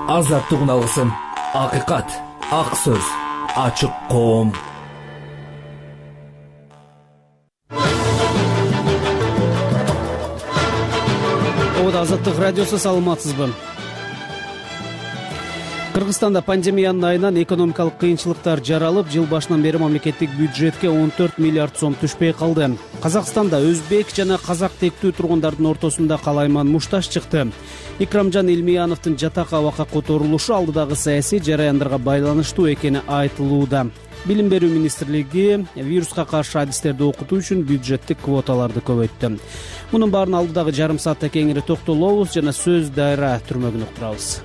азаттыгын алгысың. Акыйкат, ак сөз, ачык коом. Азаттык радиосу, саламатсызбы? Кыргызстанда пандемиянын айынан экономикалык кыйынчылыктар жаралып, жыл башынан бери мамлекеттик бюджетке 14 миллиард сом түшпөй калды. Казакстанда өзбек жана казак тектүү тургундардын ортосунда калайман мушташ чыкты. Икрамжан Илмияновдун жатак абакка которулушу алдыдагы саясий жараяндарга байланыштуу экени айтылууда. Билим берүү министрлиги вируска каршы адистерди окутуу үчүн бюджеттик квоталарды көбөйттү. Мунун баарын алдыдагы жарым саатта кеңири токтолобуз жана сөз дайра түрмөгүн уктурабыз.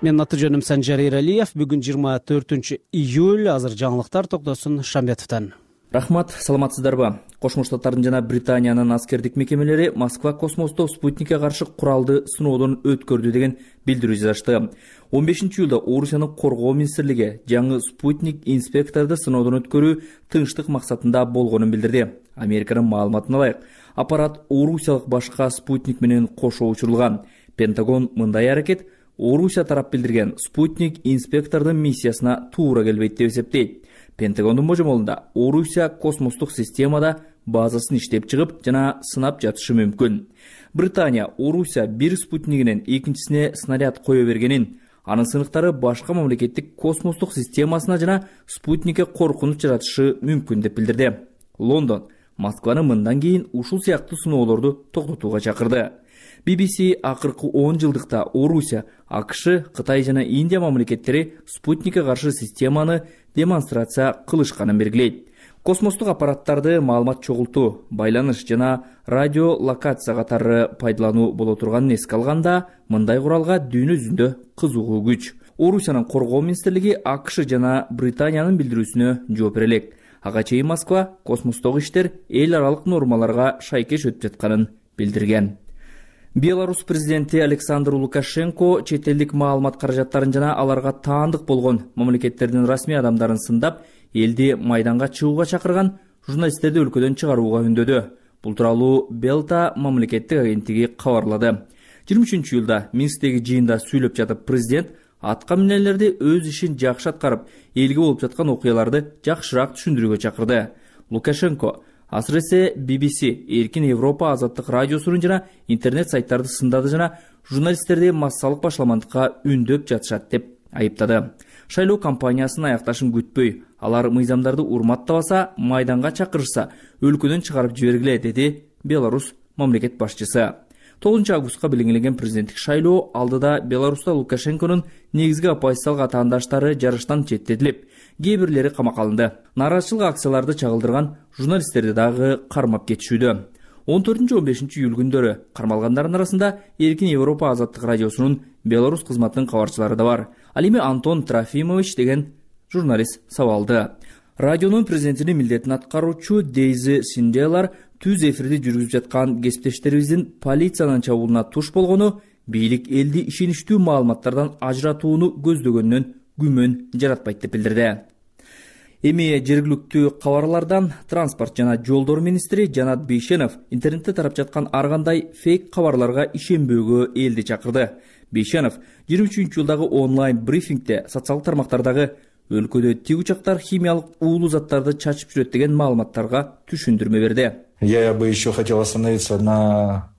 Менин аты жөнүм Санжар Эралиев. Бүгүн 24 июль. Азыр жаңылыктар Токтосун Шамбетовдон. Рахмат, саламатсыздарбы? Кошмо Штаттардын жана Британиянын аскердик мекемелери Москва космосто спутникке каршы куралды сыноодон өткөрдү деген билдирүү жазышты. 15-июлда Орусиянын коргоо министрлиги жаңы спутник инспекторду сыноодон өткөрүү тынчтык максатында болгонун билдирди. Американын маалыматына ылайык, аппарат орусиялык башка спутник менен кошо учурулган. Пентагон мындай аракет Орусия тарап билдирген спутник инспектордун миссиясына туура келбейт деп эсептейт. Пентагондун божомолунда Орусия космостук системада базасын иштеп чыгып жана сынап жатышы мүмкүн. Британия Орусия бир спутнигинен экинчисине снаряд кое бергенин, анын сыныктары башка мамлекеттик космостук системасына жана спутникке коркунуч жаратышы мүмкүн деп билдирди. Лондон Москваны мындан кийин ушул сыяктуу сыноолорду токтотууга чакырды. BBC акыркы 10 жылдыкта Орусия, АКШ, Кытай жана Индия мамлекеттери спутникке каршы системаны демонстрация кылышканын белгилейт. Космостук аппараттарды маалымат чогултуу, байланыш жана радиолокация катары пайдалануу боло турганын эске алганда, мындай куралга дүйнө жүзүндө кызыгуу күч. Орусиянын коргоо министрлиги АКШ жана Британиянын билдирүүсүнө жооп бере элек. Ага чейин Москва космостогу иштер эл аралык нормаларга шайкеш өтүп жатканын билдирген. Беларусь президенти Александр Лукашенко чет элдик маалымат каражаттарын жана аларга таандык болгон мамлекеттердин расмий адамдарын сындап, элди майданга чыгууга чакырган журналисттерди өлкөдөн чыгарууга үндөдү. Бул тууралуу Белта мамлекеттик агенттиги кабарлады. 23-июлда Минсктеги жыйында сүйлөп жатып, президент атка минелерди өз ишин жакшы аткарып, элге болуп жаткан окуяларды жакшыраак түшүндүрүүгө чакырды. Лукашенко асыресе BBC, Эркин Европа азаттык радиосунун жана интернет сайттарды сындады жана журналисттерди массалык башламандыкка үндөп жатышат деп айыптады. Шайлоо кампаниясынын аякташын күтпөй, алар мыйзамдарды урматтабаса, майданга чакырышса, өлкөдөн чыгарып жибергиле, деди Беларусь мамлекет башчысы. 9 августка белгиленген президенттик шайлоо алдыда Беларуста Лукашенконун негизги оппозициялык атаандаштары жарыштан четтетилип, кээ бирлери камакка алынды. Нааразычылык акцияларды чагылдырган журналисттерди дагы кармап кетишүүдө. 14-15 июль күндөрү кармалгандардын арасында Эркин Европа азаттык радиосунун Беларусь кызматынын кабарчылары да бар. Ал эми Антон Трофимович деген журналист сабалды. Радионун президентинин милдетин аткаруучу Дейзи Синделар түз эфирди жүргүзүп жаткан кесиптештерибиздин полициянын чабуулуна туш болгону бийлик элди ишеничтүү маалыматтардан ажыратууну көздөгөнүнөн күмөн жаратпайт деп билдирди. Эми жергиликтүү кабарлардан транспорт жана жолдор министри Жанат Бейшенов интернетте тарап жаткан ар кандай фейк кабарларга ишенбөөгө элди чакырды. Бейшенов 23-июлдагы онлайн брифингде социалдык тармактардагы өлкөдө тик учактар химиялык уулуу заттарды чачып жүрөт деген маалыматтарга түшүндүрмө берди. Я бы еще хотел остановиться на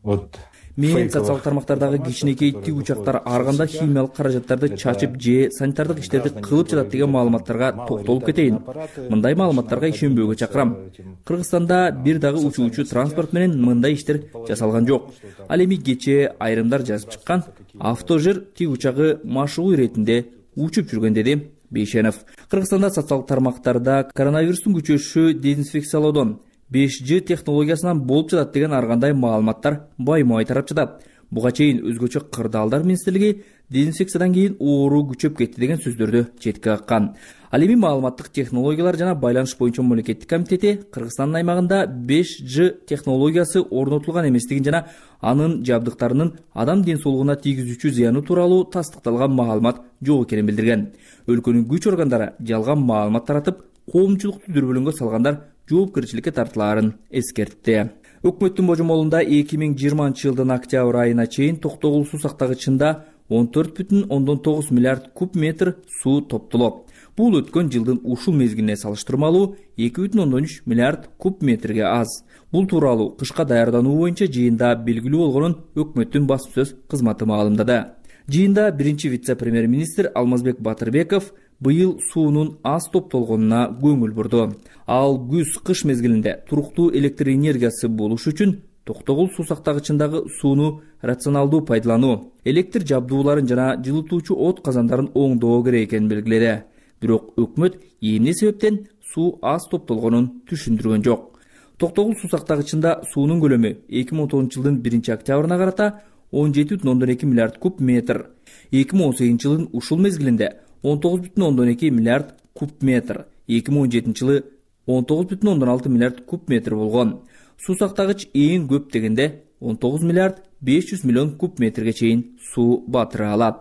Мен социалдык тармактардагы кичинекей тик учактар ар кандай химиялык каражаттарды чачып же санитардык иштерди кылып жатат деген маалыматтарга токтолуп кетейин. Мындай маалыматтарга ишенбөөгө чакырам. Кыргызстанда бир дагы учуучу транспорт менен мындай иштер жасалган жок. Ал эми кечээ айрымдар жазып чыккан автожир тик учагы машыгуу иретинде учуп жүргөн, деди Бейшенов. Кыргызстанда социалдык тармактарда коронавирустун күчөшүшү дезинфекциялоодон 5G технологиясынан болуп жатат деген ар кандай маалыматтар баймай тарап жатат. Буга чейин өзгөчө кырдаалдар министрлиги дезинфекциядан кийин оору күчөп кетти деген сөздөрдү четке каккан. Ал эми маалыматтык технологиялар жана байланыш боюнча мамлекеттик комитети Кыргызстандын аймагында 5G технологиясы орнотулган эместигин жана анын жабдыктарынын адам ден соолугуна тийгизүүчү зыяны тууралуу тастыкталган маалымат жок экенин билдирген. Өлкөнүн күч органдары жалган маалымат таратып, коомчулукту дүрбөлөңгө салгандар жоопкерчиликке тартылаарын эскертти. Өкмөттүн божомолунда 2020 жылдын октябрь айына чейин Токтогул суу сактагычында 14,9 миллиард куб метр суу топтолот. Бул өткөн жылдын ушул мезгилине салыштырмалуу 2,3 миллиард куб метрге аз. Бул тууралуу кышка даярдануу боюнча жыйында белгилүү болгонун өкмөттүн басма сөз кызматы маалымдады. Жыйында биринчи вице-премьер-министр Алмазбек Батырбеков быйыл суунун аз топтолгонуна көңүл бурду. Ал күз-кыш мезгилинде туруктуу электр энергиясы болуш үчүн Токтогул суу сактагычындагы сууну рационалдуу пайдалануу, электр жабдууларын жана жылытуучу от казандарын оңдоо керек экенин белгиледи. Бирок өкмөт эмне себептен суу аз топтолгонун түшүндүргөн жок. Токтогул суу сактагычында суунун көлөмү 2019 жылдын 1-октябрына карата 17,2 миллиард куб метр, 2018 жылдын ушул мезгилинде 19,2 миллиард куб метр, 2017 жылы 19,6 миллиард куб метр болгон. Суу сактагыч эң көп дегенде 19 миллиард 500 миллион куб метрге чейин суу батыра алат.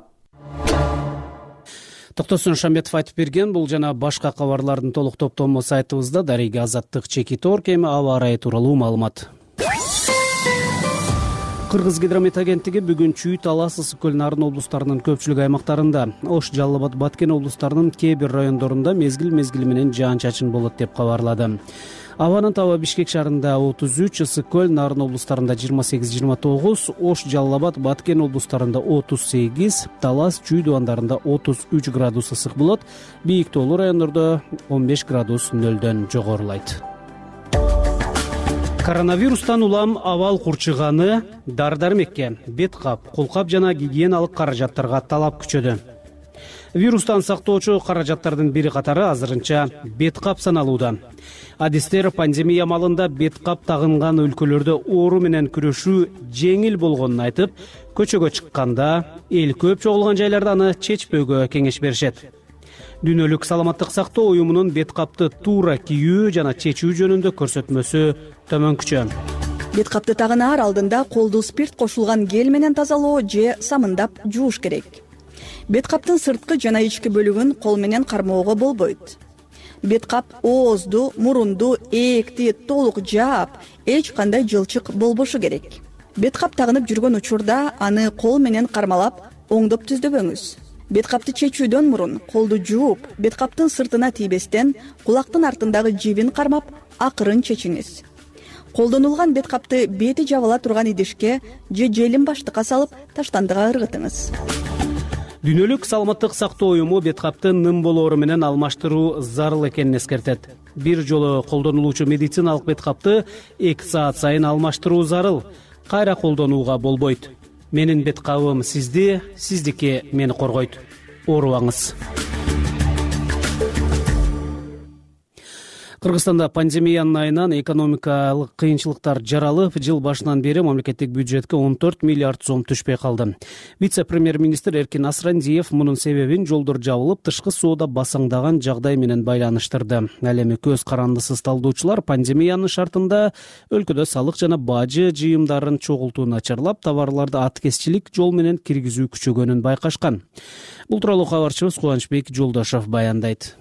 Токтосун Шамбетов айтып берген. Бул жана башка кабарлардын толук топтому сайтыбызда. Дарыга Азаттык чеки тор кеми аба ырайы тууралуу маалымат. Кыргыз гидромет агенттиги бүгүн Чүй, Талас, Ысык көл, Нарын облустарынын көпчүлүк аймактарында, Ош, Жалал Абад, Баткен облустарынын кээ бир райондорунда мезгил менен жаан-чачын болот деп кабарлады. Абанын табы Бишкек шаарында 33, Ысык көл, Нарын облустарында 28-29, Ош, Жалал Абад, Баткен облустарында 38, Талас, Чүй дубандарында 33 градус ысык болот. Бийик тоолуу райондордо 15 градус нөлдөн жогорулайт. Коронавирустан улам абал курчуганы, дары-дармекке, бет кап, колкап жана гигиеналык каражаттарга талап күчөдү. Вирустан сактоочу каражаттардын бири катары азырынча бет кап саналууда. Адистер пандемия малында бет кап тагынган өлкөлөрдө оору менен күрөшүү жеңил болгонун айтып, көчөгө чыкканда, эл көп чогулган жайларда аны чечпөөгө кеңеш беришет. Дүйнөлүк саламаттык сактоо уюмунун бет капты туура кийүү жана чечүү жөнүндө көрсөтмөсү төмөнкүчө. Бет капты тагынаар алдында колду спирт кошулган гель менен тазалоо же самындап жууш керек. Бет каптын сырткы жана ички бөлүгүн кол менен кармоого болбойт. Бет кап оозду, мурунду, ээкти толук жаап, эч кандай жылчык болбошу керек. Бет кап тагынып жүргөн учурда аны кол менен кармалап, оңдоп түздөбөңүз. Бет капты чечүүдөн мурун колду жууп, бет каптын сыртына тийбестен кулактын артындагы жибин кармап, акырын чечиңиз. Колдонулган бет капты бети жабыла турган идишке же желин баштыкка салып, таштандыга ыргытыңыз. Дүйнөлүк саламаттык сактоо уюму бет капты ным болоору менен алмаштыруу зарыл экенин эскертет. Бир жолу колдонулуучу медициналык бет капты 2 саат сайын алмаштыруу зарыл. Кайра колдонууга болбойт. Менин бет кабым сизди, сиздики мени коргойт. Оорубаңыз. Кыргызстанда пандемиянын айынан экономикалык кыйынчылыктар жаралып, жыл башынан бери мамлекеттик бюджетке 14 миллиард сом түшпөй калды. Вице-премьер-министр Эркин Асрандиев мунун себебин жолдор жабылып, тышкы соода басаңдаган жагдай менен байланыштырды. Ал эми көз карандысыз талдоочулар пандемиянын шартында өлкөдө салык жана бажы жыйымдарын чогултуу начарлап, товарларды аткезчилик жол менен киргизүү күчөгөнүн байкашкан. Бул тууралуу кабарчыбыз Кубанычбек Жолдошов баяндайт.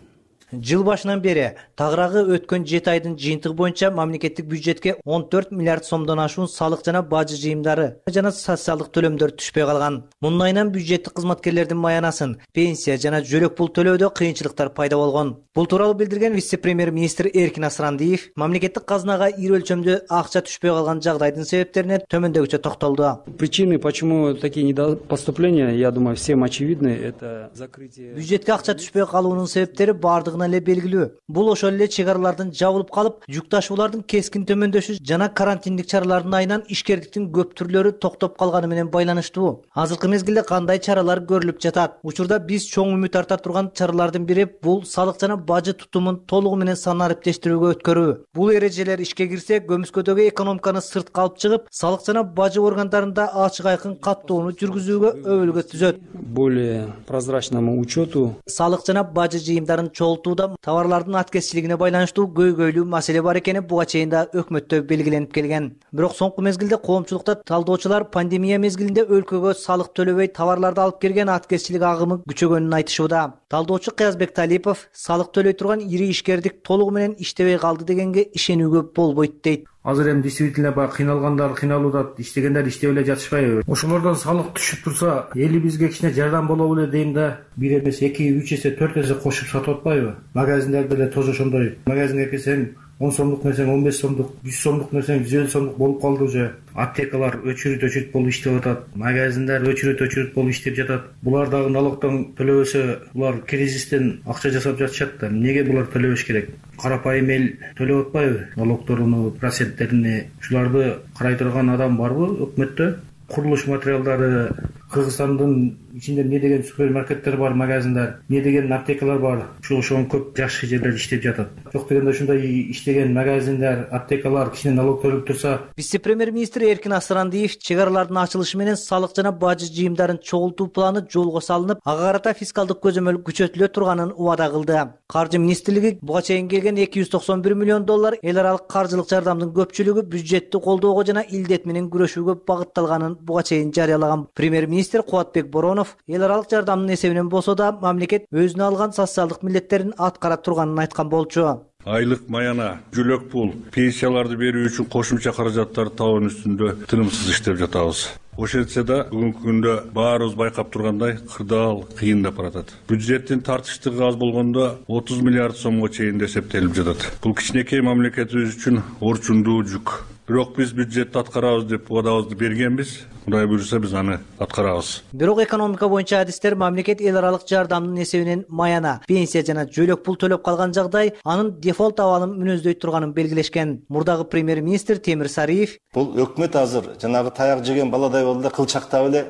Жыл башынан бери тагыраагы өткөн 7 айдын жыйынтыгы боюнча мамлекеттик бюджетке 14 миллиард сомдон ашуун салык жана бажы жыйымдары жана социалдык төлөмдөр түшпөй калган. Мунун айынан бюджеттик кызматкерлердин маянасын, пенсия жана жөлөк пул төлөөдө кыйынчылыктар пайда болгон. Бул тууралуу билдирген вице-премьер-министр Эркин Асрандиев мамлекеттик казынага ийри өлчөмдө акча түшпөй калган жагдайдын себептерине төмөндөгүчө токтолду. Причины, почему такие недопоступления, я думаю, всем очевидны, это закрытие. Бюджетке акча түшпөй калуунун себептери бардыгына эле белгилүү. Бул ошол эле чек аралардын жабылып калып, жүк ташуулардын кескин төмөндөшү жана карантиндик чаралардын айынан ишкердиктин көп түрлөрү токтоп калганы менен байланыштуу. Азыркы мезгилде кандай чаралар көрүлүп жатат? Учурда биз чоң үмүт арта турган чаралардын бири бул салык жана бажы тутумун толугу менен сан ариптештирүүгө өткөрүү. Бул эрежелер ишке кирсе, көмүскөдөгү экономиканы сыртка алып чыгып, салык жана бажы органдарында ачык айкын каттоону жүргүзүүгө өбөлгө түзөт. Более прозрачному учету. Салык жана бажы жыйымдарын чогултууда товарлардын аткезчилигине байланыштуу көйгөйлүү маселе бар экени буга чейин да өкмөттө белгиленип келген. Бирок соңку мезгилде коомчулукта талдоочулар пандемия мезгилинде өлкөгө салык төлөбөй товарларды алып келген аткезчилик агымы күчөгөнүн айтышууда. Талдоочу Кыязбек Талипов салык төлөй турган ири ишкердик толугу менен иштебей калды дегенге ишенүүгө болбойт дейт. Азыр эми действительно баягы кыйналгандар кыйналууда, иштегендер иштеп эле жатышпайбы? Ошолордон салык түшүп турса, элибизге кичине жардам боло беле дейм да, 1 эмес 2, 3 эсе, 4 эсе кошуп сатып атпайбы? Магазиндерде эле тоже ошондой. Магазинге келсең 10 сомдук нерсең 15 сомдук, 100 сомдук нерсең 150 сомдук болуп калды уже. Аптекалар өчүрүт болуп иштеп атат. Магазиндер өчүрүт болуп иштеп жатат. Булар дагы налогтон төлөбөсө, булар кризистен акча жасап жатышат да. Эмнеге булар төлөбөш керек? Карапайым эл төлөп атпайбы? Налогторуну, проценттерини. Ушуларды карай турган адам барбы өкмөттө? Курулуш материалдары, Кыргызстандын ичинде эмне деген супермаркеттер бар, магазиндар, эмне деген аптекалар бар. Ошон көп жакшы жерлер иштеп жатат. Жок дегенде ушундай иштеген магазиндер, аптекалар кичине налог төлөп турса. Вице-премьер-министр Эркин Асырандиев чек аралардын ачылышы менен салык жана бажы жыйымдарын чогултуу планы жолго салынып, ага карата фискалдык көзөмөл күчөтүлө турганын убада кылды. Каржы министрлиги буга чейин келген $291 миллион эл аралык каржылык жардамдын көпчүлүгү бюджетти колдоого жана илдет менен күрөшүүгө багытталганын буга чейин жарыялаган. Премьер-министр Кубатбек Боронов эл аралык жардамдын эсебинен болсо да мамлекет өзүнө алган социалдык милдеттерин аткара турганын айткан болчу. Айлык маяна, жүлөк пул, пенсияларды берүү үчүн кошумча каражаттарды табуу үстүндө тынымсыз иштеп жатабыз. Ошентсе да бүгүнкү күндө баарыбыз байкап тургандай кырдаал кыйындап баратат. Бюджеттин тартыштыгы аз болгондо 30 миллиард сомго чейин эсептелип жатат. Бул кичинекей мамлекетибиз үчүн орчундуу жүк. Бирок биз бюджетти аткарабыз деп убадабызды бергенбиз. Кудай буйруса биз аны аткарабыз. Бирок экономика боюнча адистер мамлекет эл аралык жардамдын эсебинен маяна, пенсия жана жөлөк пул төлөп калган жагдай анын дефолт абалын мүнөздөй турганын белгилешкен. Мурдагы премьер-министр Темир Сариев бул өкмөт азыр жанагы таяк жеген баладай болду, кылчактап эле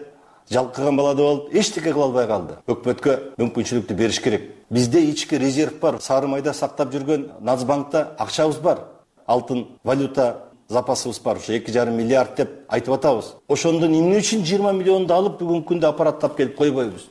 жалкыган баладай болуп, эчтеке кыла албай калды. Өкмөткө мүмкүнчүлүктү бериш керек. Бизде ички резерв бар. Сары майда сактап жүргөн Нацбанкта акчабыз бар. Алтын валюта запасыбыз бар, ушу 2,5 миллиард деп айтып атабыз. Ошондон эмне үчүн 20 миллионду алып бүгүнкү күндө аппараттап келип койбойбуз?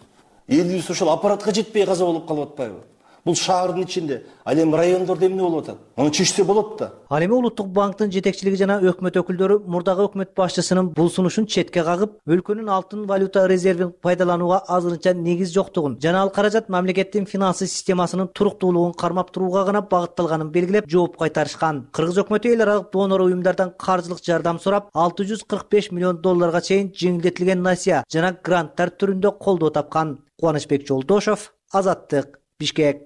Элибиз ошол аппаратка жетпей каза болуп калып атпайбы? Бул шаардын ичинде, ал эми райондордо эмне болуп атат? Муну чечсе болот да. Ал эми Улуттук банктын жетекчилиги жана өкмөт өкүлдөрү мурдагы өкмөт башчысынын бул сунушун четке кагып, өлкөнүн алтын валюта резервин пайдаланууга азырынча негиз жоктугун жана ал каражат мамлекеттин финансы системасынын туруктуулугун кармап турууга гана багытталганын белгилеп жооп кайтарышкан. Кыргыз өкмөтү эл аралык донор уюмдардан каржылык жардам сурап, $645 миллион чейин жеңилдетилген насыя жана гранттар түрүндө колдоо тапкан. Кубанычбек Жолдошов, Азаттык, Бишкек.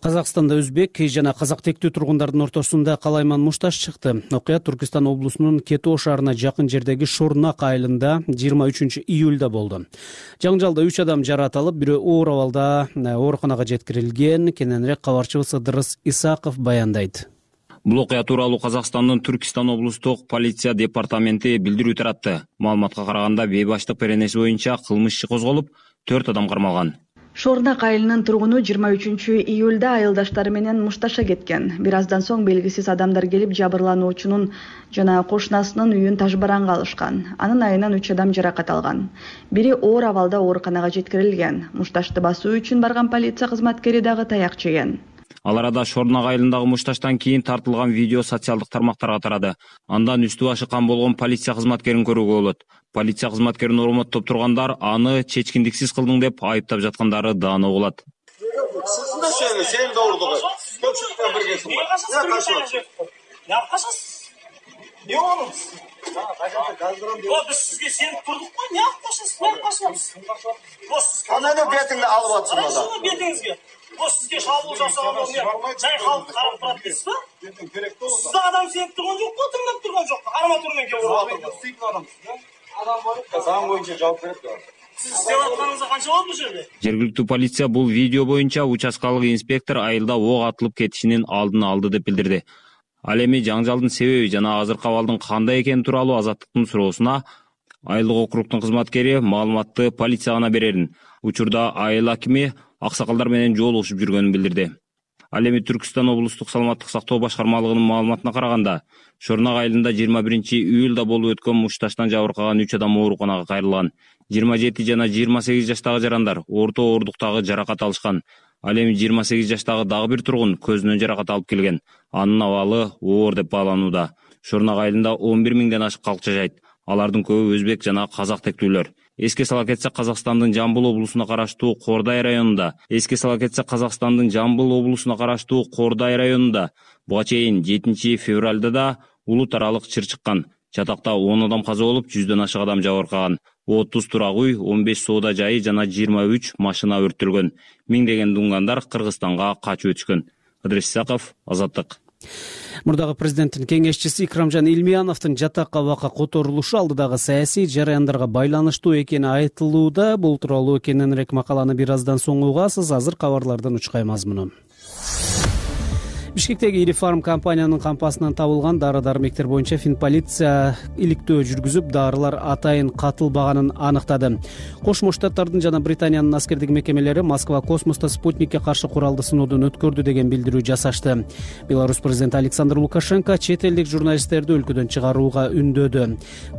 Казакстанда өзбек жана казак тектүү тургундардын ортосунда калайман мушташ чыкты. Окуя Түркистан облусунун Кетоо шаарына жакын жердеги Шорнак айылында 23 июлда болду. Жаңжалда 3 адам жаракат алып, бирөө оор абалда ооруканага жеткирилген. Кененирээк кабарчыбыз Ыдырыс Исаков баяндайт. Бул окуя тууралуу Казакстандын Түркистан облустук полиция департаменти билдирүү таратты. Маалыматка караганда бейбаштык беренеси боюнча кылмыш иши козголуп, 4 адам кармалган. Шорнак айылынын тургуну 23 июлда айылдаштары менен мушташа кеткен. Бир аздан соң белгисиз адамдар келип жабырлануучунун жана кошунасынын үйүн тажбаранга алышкан. Анын айынан 3 адам жаракат алган. Бири оор абалда ооруканага жеткирилген. Мушташты басуу үчүн барган полиция кызматкери дагы таяк жеген. Ал арада Шорнак айылындагы мушташтан кийин тартылган видео социалдык тармактарга тарады. Андан үстү башы кан болгон полиция кызматкерин көрүүгө болот. Полиция кызматкерин урматтап тургандар аны чечкиндиксиз кылдың деп айыптап жаткандары дааны угулат. Сен да урдук. Көпчүлүккө биргесиң. Я кашасыз? Не болуңуз? Биз сизге сенip турдук го, не кашасыз? Не кашасыз? Кандай бетиңди алып атсың ада? Бетиңизге. Сизге шабуыл жасаган жай халык карап турат дейсизби? Сиз адам сенip турган жок го, тыңдап турган жок. Арматура менен келип атат. Сыйкын адамсыз. Адам бар. Заң боюнча жооп берет го. Сиз иштеп атканыңызга канча болду бул жерде? Жергиликтүү полиция бул видео боюнча участкалык инспектор айылда ок атылып кетишинин алдын алды деп билдирди. Ал эми жаңжалдын себеби жана азыркы абалдын кандай экени тууралуу Азаттыктын суроосуна айылдык округдун кызматкери маалыматты полицияга берерин, учурда айыл акими аксакалдар менен жолугушуп жүргөнүн билдирди. Ал эми Түркистан облустук саламаттык сактоо башкармалыгынын маалыматына караганда, Шорнак айылында 21 июлда болуп өткөн мушташтан жабыркаган 3 адам ооруканага кайрылган. 27 жана 28 жаштагы жарандар орто ооруктагы жаракат алышкан. Ал эми 28 жаштагы дагы бир тургун көзүнөн жаракат алып келген. Анын абалы оор деп бааланууда. Шорнак айылында 11 миңден ашык калк жашайт. Алардын көбү өзбек жана казак тектүүлөр. Эске сала кетсек, Казакстандын Жамбыл облусуна караштуу Кордай районунда буга чейин 7 февралда да улут аралык чыр чыккан. Чатакта 10 адам каза болуп, 100дөн ашык адам жабыркаган. 30 турак үй, 15 соода жайы жана 23 машина өрттөлгөн. Миңдеген дуңгандар Кыргызстанга качып өтүшкөн. Ыдырыс Исаков, Азаттык. Мурдагы президенттин кеңешчиси Икрамжан Илмияновдун жатак абакка которулушу алдыдагы саясий жараяндарга байланыштуу экени айтылууда. Бул тууралуу кененирээк макаланы бир аздан соң угасыз. Азыр кабарлардан учкай мазмуну. Бишкектеги ири фарм компаниянын кампасынан табылган дары-дармектер боюнча Финполиция иликтөө жүргүзүп, дарылар атайын катылбаганын аныктады. Кошмо Штаттардын жана Британиянын аскердик мекемелери Москва космосто спутникке каршы куралды сыноодон өткөрдү деген билдирүү жасашты. Беларусь президенти Александр Лукашенко чет элдик журналисттерди өлкөдөн чыгарууга үндөдү.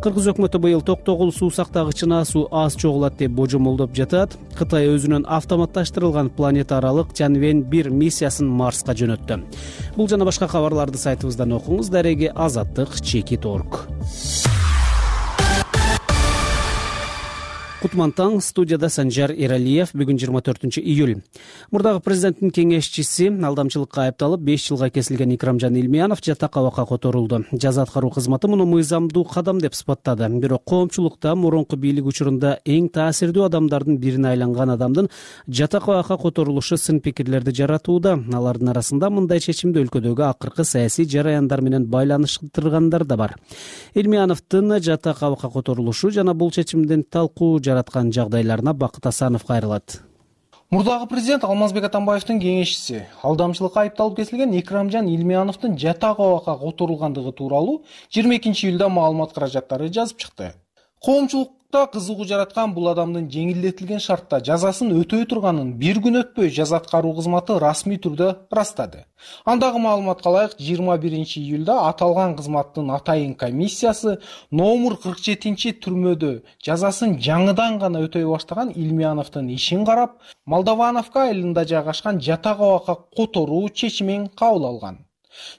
Кыргыз өкмөтү быйыл токтогул суу сактагычына суу аз чогулат деп божомолдоп жатат. Кытай өзүнүн автоматташтырылган планета аралык Чанвен-1 миссиясын Марска жөнөттү. Бул жана башка кабарларды сайтыбыздан окуңуз. Дареги Азаттык Чекит.орг. Кутман таң, студияда Санжар Эралиев. Бүгүн 24-июль. Мурдагы президенттин кеңешчиси алдамчылыкка айыпталып 5 жылга кесилген Икрамжан Илмиянов жатак абакка которулду. Жаза аткаруу кызматы муну мыйзамдуу кадам деп сыпаттады. Бирок коомчулукта мурунку бийлик учурунда эң таасирдүү адамдардын бирине айланган адамдын жатак абакка которулушу сын пикирлерди жаратууда. Алардын арасында мындай чечимди өлкөдөгү акыркы саясий жараяндар менен байланыштыргандар да бар. Илмияновдун жатак абакка которулушу жана бул чечимдин талкуу жараткан жагдайларына Бакыт Асанов кайрылат. Мурдагы президент Алмазбек Атамбаевдин кеңешчиси алдамчылыкка айыпталып кесилген Икрамжан Илмияновдун жатак абакка которулгандыгы тууралуу 22-июлда маалымат каражаттары жазып чыкты. Коомчулукта кызыгуу жараткан бул адамдын жеңилдетилген шартта жазасын өтөй турганын бир күн өтпөй жаза аткаруу кызматы расмий түрдө ырастады. Андагы маалыматка ылайык 21-июлда аталган кызматтын атайын комиссиясы номер 47 түрмөдө жазасын жаңыдан гана өтөй баштаган Илмияновдун ишин карап, Молдовановка айылында жайгашкан жатак абакка которуу чечимин кабыл алган.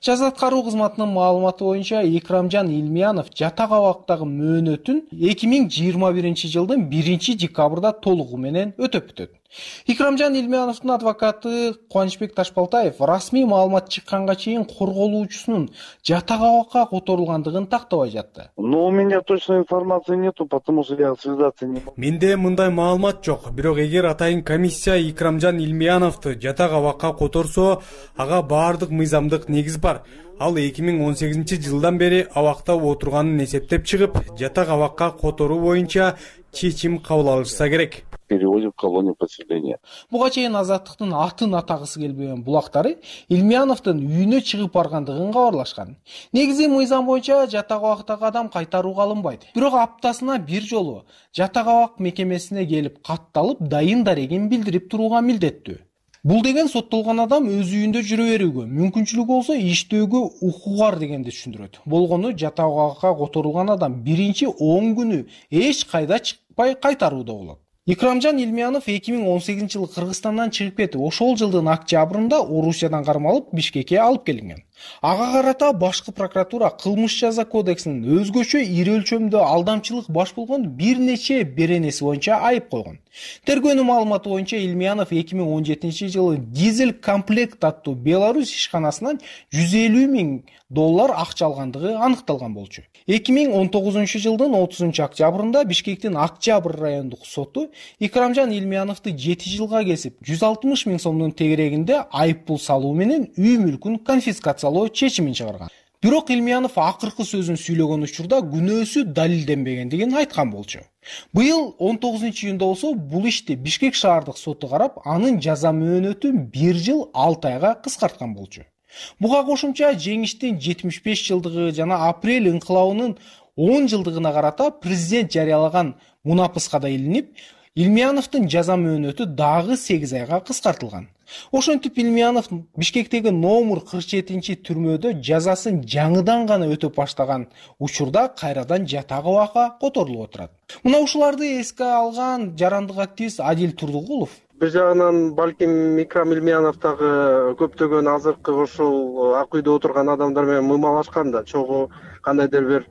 Жаза аткаруу кызматынын маалыматы боюнча Икрамжан Илмиянов жатак абактагы мөөнөтүн 2021 жылдын 1 декабрда толугу менен өтөп бүтөт. Икрамжан Илмияновдун адвокаты Кубанычбек Ташбалтаев расмий маалымат чыкканга чейин корголуучусунун жатак абакка которулгандыгын тактабай жатты. Но у меня точной информации нету, потому что я связаться не могу. Менде мындай маалымат жок. Бирок эгер атайын комиссия Икрамжан Илмияновду жатак абакка которсо, ага баардык мыйзамдык негиз бар. Ал 2018 жылдан бери абакта отурганын эсептеп чыгып, жатак абакка которуу боюнча чечим кабыл алышса керек. Переводим в колонию поселения. Буга чейин Азаттыктын атын атагысы келбеген булактары Илмияновдун үйүнө чыгып баргандыгын кабарлашкан. Негизи мыйзам боюнча жатак абактагы адам кайтарууга алынбайт. Бирок аптасына бир жолу жатак абак мекемесине келип катталып, дайын дарегин билдирип турууга милдеттүү. Бул деген соттолгон адам өз үйүндө жүрө берүүгө, мүмкүнчүлүгү болсо иштөөгө укугу бар дегенди түшүндүрөт. Болгону жатак абакка которулган адам биринчи 10 күнү эч кайда чыкпай кайтарууда болот. Икрамжан Илмиянов 2018 жылы Кыргызстандан чыгып кетип, ошол жылдын октябрында Орусиядан кармалып Бишкекке алып келинген. Ага карата башкы прокуратура кылмыш жаза кодексинин өзгөчө ири өлчөмдө алдамчылык баш болгон бир нече беренеси боюнча айып койгон. Тергөөнүн маалыматы боюнча Илмиянов 2017 жылы дизель комплект аттуу Беларусь ишканасынан $150 000 акча алгандыгы аныкталган болчу. 2019 жылдын 30 октябрында Бишкектин Октябрь райондук соту Икрамжан Илмияновду 7 жылга кесип, 160 000 сомдун тегерегинде айып пул салуу менен үй мүлкүн конфискациялоо чечимин чыгарган. Бирок Илмиянов акыркы сөзүн сүйлөгөн учурда күнөөсү далилденбегендигин айткан болчу. Быйыл 19-июнда болсо бул ишти Бишкек шаардык соту карап, анын жаза мөөнөтүн 1 жыл 6 айга кыскарткан болчу. Буга кошумча жеңиштин 75 жылдыгы жана апрель инкылабынын 10 жылдыгына карата президент жарыялаган мунапыска да илинип, Илмияновдун жаза мөөнөтү дагы 8 айга кыскартылган. Ошентип Илмиянов Бишкектеги номер 47 түрмөдө жазасын жаңыдан гана өтөп баштаган учурда кайрадан жатак абакка которулуп отурат. Мына ушуларды эске алган жарандык активист Адил Турдугулов бир жагынан балким Икрам Илмиянов дагы көптөгөн азыркы ушул ак үйдө отурган адамдар менен мымалашкан да, чогуу кандайдыр бир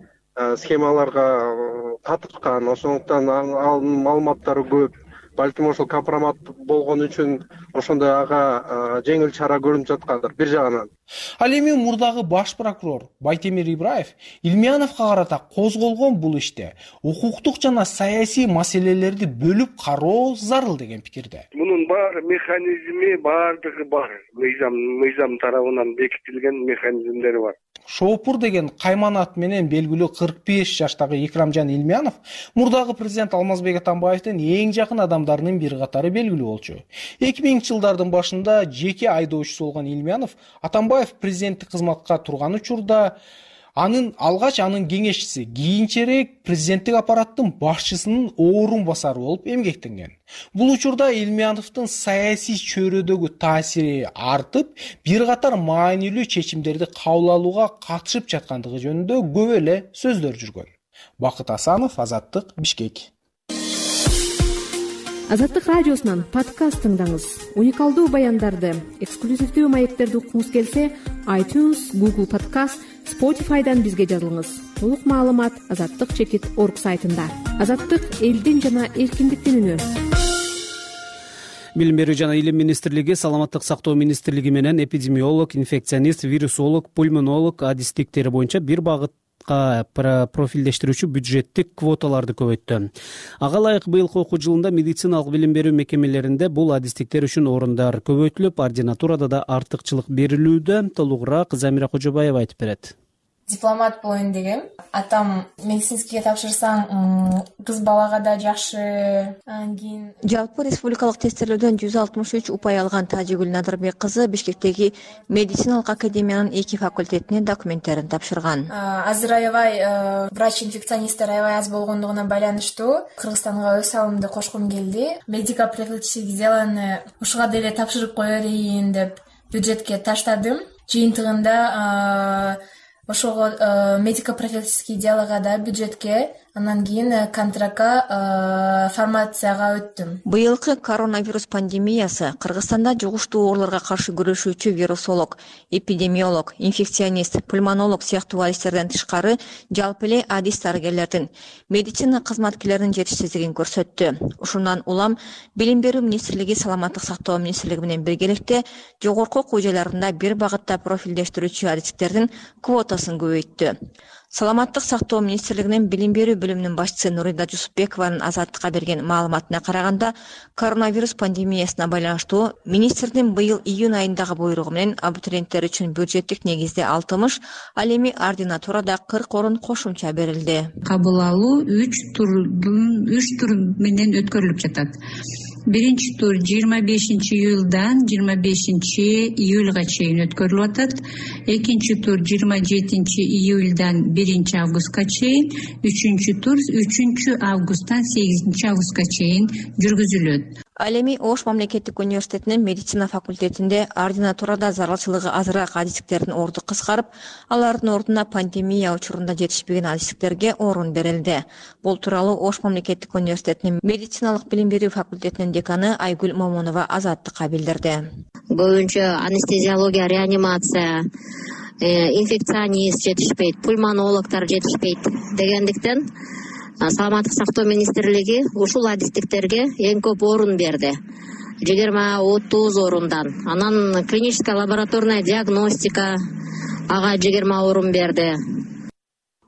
схемаларга катышкан, ошондуктан анын маалыматтары көп. Балким ошол компромат болгон үчүн ошондой ага жеңил чара көрүнүп жаткандыр бир жагынан. Ал эми мурдагы баш прокурор Байтемир Ибраев Илмияновго карата козголгон бул иште укуктук жана саясий маселелерди бөлүп кароо зарыл деген пикирде. Мунун баары механизми баардыгы бар. Мыйзам тарабынан бекитилген механизмдери бар. Шоопур деген кайман ат менен белгилүү 45 жаштагы Икрамжан Илмиянов мурдагы президент Алмазбек Атамбаевдин эң жакын адамдарынын бир катары белгилүү болчу. 2000-жылдардын башында жеке айдоочусу болгон Илмиянов Атамбаев президенттик кызматка турган учурда алгач анын кеңешчиси, кийинчерээк президенттик аппараттын башчысынын орун басары болуп эмгектенген. Бул учурда Илмияновдун саясий чөйрөдөгү таасири артып, бир катар маанилүү чечимдерди кабыл алууга катышып жаткандыгы жөнүндө көп эле сөздөр жүргөн. Бакыт Асанов, Азаттык, Бишкек. Азаттык радиосунан подкаст тыңдаңыз. Уникалдуу баяндарды, эксклюзивдүү маектерди укуңуз келсе, iTunes, Google Podcast, Spotify'дан бизге жазылыңыз. Толук маалымат azattik.org сайтында. Азаттык элдин жана эркиндиктин үнү. Билим берүү жана илим министрлиги, саламаттык сактоо министрлиги менен эпидемиолог, инфекционист, вирусолог, пульмонолог адистиктери боюнча бир багытка профилдештирүүчү бюджеттик квоталарды көбөйттү. Ага ылайык быйылкы окуу жылында медициналык билим берүү мекемелеринде бул адистиктер үчүн орундар көбөйтүлүп, ординатурада да артыкчылык берилүүдө. Толугураак Замира Кожобаева айтып берет. Дипломат болоюн дегем. Атам медицинскийге тапшырсаң, кыз балага да жакшы. Кийин жалпы республикалык тестелөөдөн 163 упай алган Тажигүл Надырбек кызы Бишкектеги медициналык академиянын 2 факультетине документтерин тапшырган. Азыр аябай врач-инфекционисттер аябай аз болгондугуна байланыштуу Кыргызстанга өз салымымды кошкум келди. Медико-профилактический делоны ушуга деле тапшырып кое берейин деп бюджетке таштадым. Жыйынтыгында ошого медико-профилактический делога да бюджетке, анан кийин контрактка формацияга өттүм. Быйылкы коронавирус пандемиясы Кыргызстанда жугуштуу ооруларга каршы күрөшүүчү вирусолог, эпидемиолог, инфекционист, пульмонолог сыяктуу адистерден тышкары жалпы эле адис дарыгерлердин, медицина кызматкерлеринин жетишсиздигин көрсөттү. Ушундан улам Билим берүү министрлиги, Саламаттык сактоо министрлиги менен биргеликте жогорку окуу жайларында бир багытта профилдештирүүчү адистердин квотасын көбөйттү. Саламаттык сактоо министрлигинин билим берүү бөлүмүнүн башчысы Нурида Жусупбекованын Азаттыкка берген маалыматына караганда, коронавирус пандемиясына байланыштуу министрдин быйыл июнь айындагы буйругу менен абитуриенттер үчүн бюджеттик негизде 60, ал эми ординатурада 40 орун кошумча берилди. Кабыл алуу 3 тур менен өткөрүлүп жатат. Биринчи тур 25 июлдан 25 июлга чейин өткөрүлүп атат. Экинчи тур 27 июлдан 1 августка чейин, үчүнчү тур 3 августтан 8 августка чейин жүргүзүлөт. Ал эми Ош мамлекеттик университетинин медицина факультетинде ординатурада зарылчылыгы азыраак адистиктердин орду кыскарып, алардын ордуна пандемия учурунда жетишпеген адистиктерге орун берилди. Бул тууралуу Ош мамлекеттик университетинин медициналык билим берүү факультетинин деканы Айгүл Момунова Азаттыкка билдирди. Боюнча анестезиология, реанимация, инфекционист жетишпейт, пульмонологдор жетишпейт дегендиктен Саламаттык сактоо министрлиги ушул адистиктерге эң көп орун берди. 20-30 орундан. Анан клиническая лабораторная диагностика ага 20 орун берди.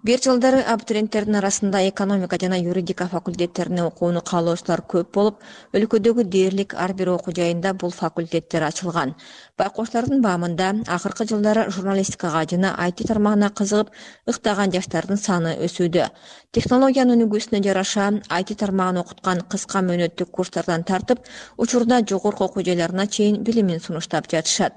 Бир жылдары абитуриенттердин арасында экономика жана юридика факультеттерине окууну каалоочулар көп болуп, өлкөдөгү дээрлик ар бир окуу жайында бул факультеттер ачылган. Байкоштардын баамында акыркы жылдары журналистикага жана IT тармагына кызыгып ыктаган жаштардын саны өсүүдө. Технологиянын өнүгүүсүнө жараша IT тармагын окуткан кыска мөөнөттүк курстардан тартып, учурда жогорку окуу жайларына чейин билимин сунуштап жатышат.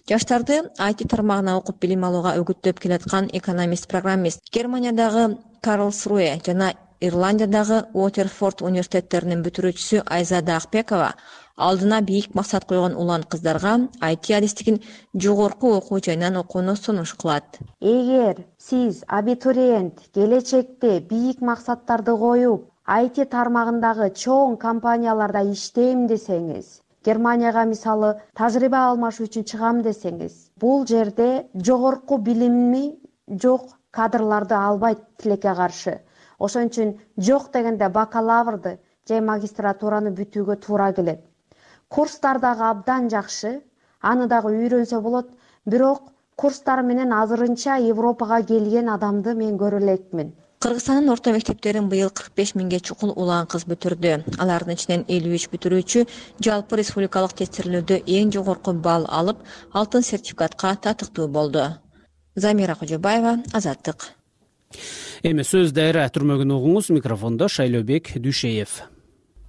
Жаштарды IT тармагына окуп билим алууга өгүттөп келаткан экономист-программист Германиядагы Карлсруэ жана Ирландиядагы Уотерфорд университеттеринин бүтүрүүчүсү Айзада Акбекова алдына бийик максат койгон улан кыздарга IT адистигин жогорку окуу жайынан окууну сунуш кылат. Эгер сиз абитуриент келечекте бийик максаттарды коюп, IT тармагындагы чоң компанияларда иштейм десеңиз, Германияга мисалы тажрыйба алмашуу үчүн чыгам десеңиз, бул жерде жогорку билими жок кадрларды албайт тилекке каршы. Ошон үчүн жок дегенде бакалаврды же магистратураны бүтүүгө туура келет. Курстар дагы абдан жакшы, аны дагы үйрөнсө болот, бирок курстар менен азырынча Европага келген адамды мен көрө элекмин. Кыргызстандын орто мектептерин быйыл 45 миңге чукул улан кыз бүтүрдү. Алардын ичинен 53 бүтүрүүчү жалпы республикалык тестирлөөдө эң жогорку балл алып, алтын сертификатка татыктуу болду. Замира Кожобаева, Азаттык. Эми сөз дайра түрмөгүн угуңуз, микрофондо Шайлообек Дүйшеев.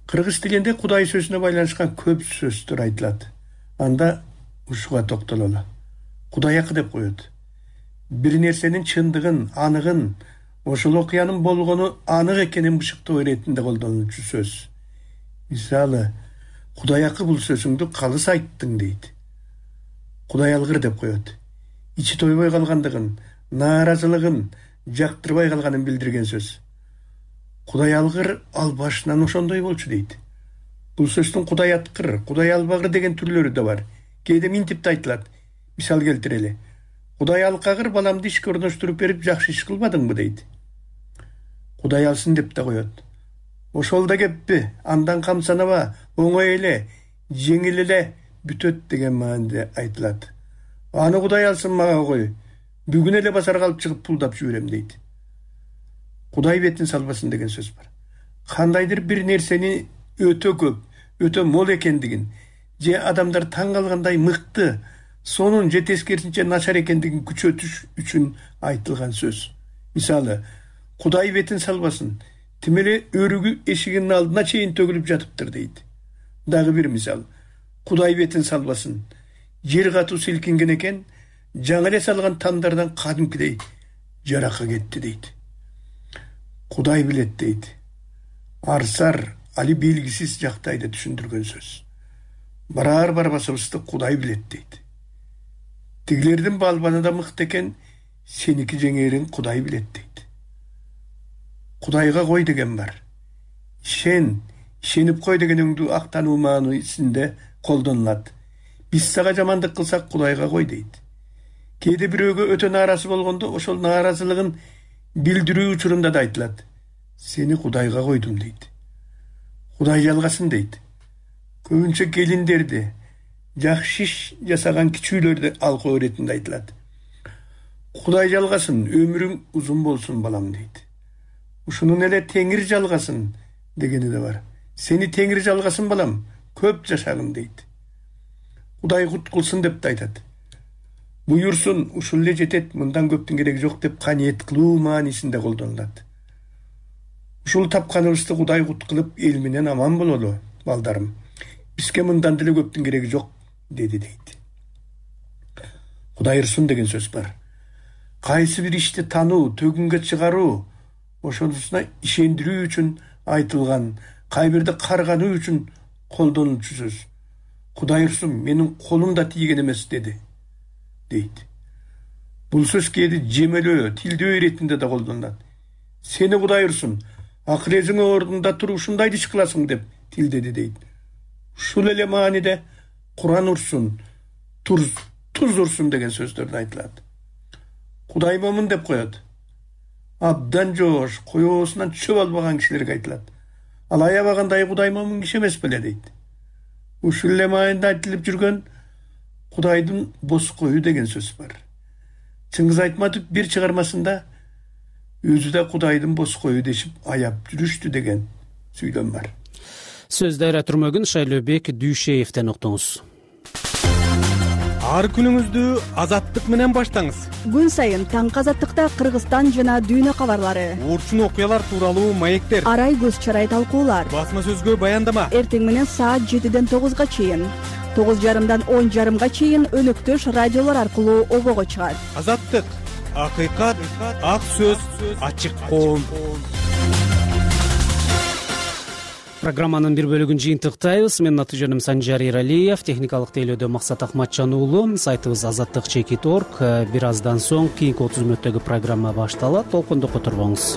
Кыргыз тилинде Кудай сөзүнө байланышкан көп сөздөр айтылат. Анда ушуга токтололу. Кудайакы деп коет. Бир нерсенин чындыгын, аныгын, ошол окуянын болгону анык экенин бышыктоо иретинде колдонулчу сөз. Мисалы, Кудайакы бул сөзүңдү калыс айттың дейт. Кудай алгыр деп коет. Ичи тойбой калгандыгын, нааразылыгын, жактырбай калганын билдирген сөз. Кудай алгыр ал башынан ошондой болчу дейт. Бул сөздүн Кудай аткыр, Кудай албагыр деген түрлөрү да бар. Кээде минтип да айтылат. Мисал келтирели. Кудай алкагыр баламды ишке орноштуруп берип жакшы иш кылбадыңбы дейт. Кудай алсын деп да коет. Ошол да кеппи, андан камсанаба, оңой эле, жеңил эле бүтөт деген мааниде айтылат. Аны Кудай алсын мага кой. Бүгүн эле базарга алып чыгып пулдап жиберем дейт. Кудай бетин салбасын деген сөз бар. Кандайдыр бир нерсени өтө көп, өтө мол экендигин, же адамдар таң калгандай мыкты, сонун же тескерисинче начар экендигин күчөтүш үчүн айтылган сөз. Мисалы, Кудай бетин салбасын, тим эле өрүгү эшигинин алдына чейин төгүлүп жатыптыр дейт. Дагы бир мисал, Кудай бетин салбасын, жер катуу силкинген экен, жаңы эле салган тамдардан кадимкидей жаракка кетти дейт. Кудай билет дейт. Арсар, али белгисиз жактайды түшүндүргөн сөз. Барар барбасыбызды Кудай билет дейт. Тигилердин балбаны да мыкты экен, сеники жеңерин Кудай билет дейт. Кудайга кой деген бар. Ишенип кой дегениңди актануу маанисинде колдонулат. Биз сага жамандык кылсак Кудайга кой дейт. Кээде бирөөгө өтө нааразы болгондо ошол нааразылыгын билдирүү учурунда да айтылат. Сени Кудайга койдум дейт. Кудай жалгасын дейт. Көбүнчө келиндерди, жакшы иш жасаган кичүүлөрдү алкоо иретинде айтылат. Кудай жалгасын, өмүрүң узун болсун балам дейт. Ушунун эле Теңир жалгасын дегени да бар. Сени Теңир жалгасын балам, көп жашагын дейт. Кудай кут кылсын деп да айтат. Буйурсун, ушул эле жетет, мындан көптүн кереги жок деп каниет кылуу маанисинде колдонулат. Ушул тапканыбызды Кудай кут кылып эл менен аман бололу, балдарым. Бизге мындан деле көптүн кереги жок, деди дейт. Кудай ырсын деген сөз бар. Кайсы бир ишти тануу, төгүнгө чыгаруу, ошонусуна ишендирүү үчүн айтылган, кайбирди каргануу үчүн колдонулчу сөз. Кудай ырсын, менин колум да тийген эмес деди, дейт. Бул сөз кээде жемелөө, тилдөө иретинде да колдонулат. Сени Кудай ырсын, акырезиң ордунда туруп ушундайды иш кыласың деп тилдеди дейт. Ушул эле мааниде Куран урсун, туз урсун деген сөздөрдө айтылат. Кудай момун деп коет. Абдан жоош, коёсунан чөп албаган кишилерге айтылат. Ал аябагандай Кудай момун киши эмес беле дейт. Ушул эле мааниде айтылып жүргөн Кудайдын бос кою деген сөз бар. Чыңгыз Айтматов бир чыгармасында өзү да Кудайдын бос кою дешип аяп жүрүштү деген сүйлөм бар. Сөз дайра түрмөгүн Шайлообек Дүйшеевден уктуңуз. Ар күнүңүздү Азаттык менен баштаңыз. Күн сайын таңкы Азаттыкта Кыргызстан жана дүйнө кабарлары, Урчун окуялар тууралуу маектер, арай көз чарай талкуулар, басма сөзгө баяндама. Эртең менен саат 7-ден 9-га чейин, 9:30-дан 10:30-га чейин өнөктөш радиолор аркылуу обого чыгат. Азаттык, акыйкат, ак сөз, ачык коом. Программанын бир бөлүгүн жыйынтыктайбыз. Менин аты-жөнүм Санжар Иралиев, техникалык тейлөөдө Максат Акматжан уулу. Сайтыбыз azattik.org. Бир аздан соң кийинки 30 мүнөттөгү программа башталат. Толкунду которбоңуз.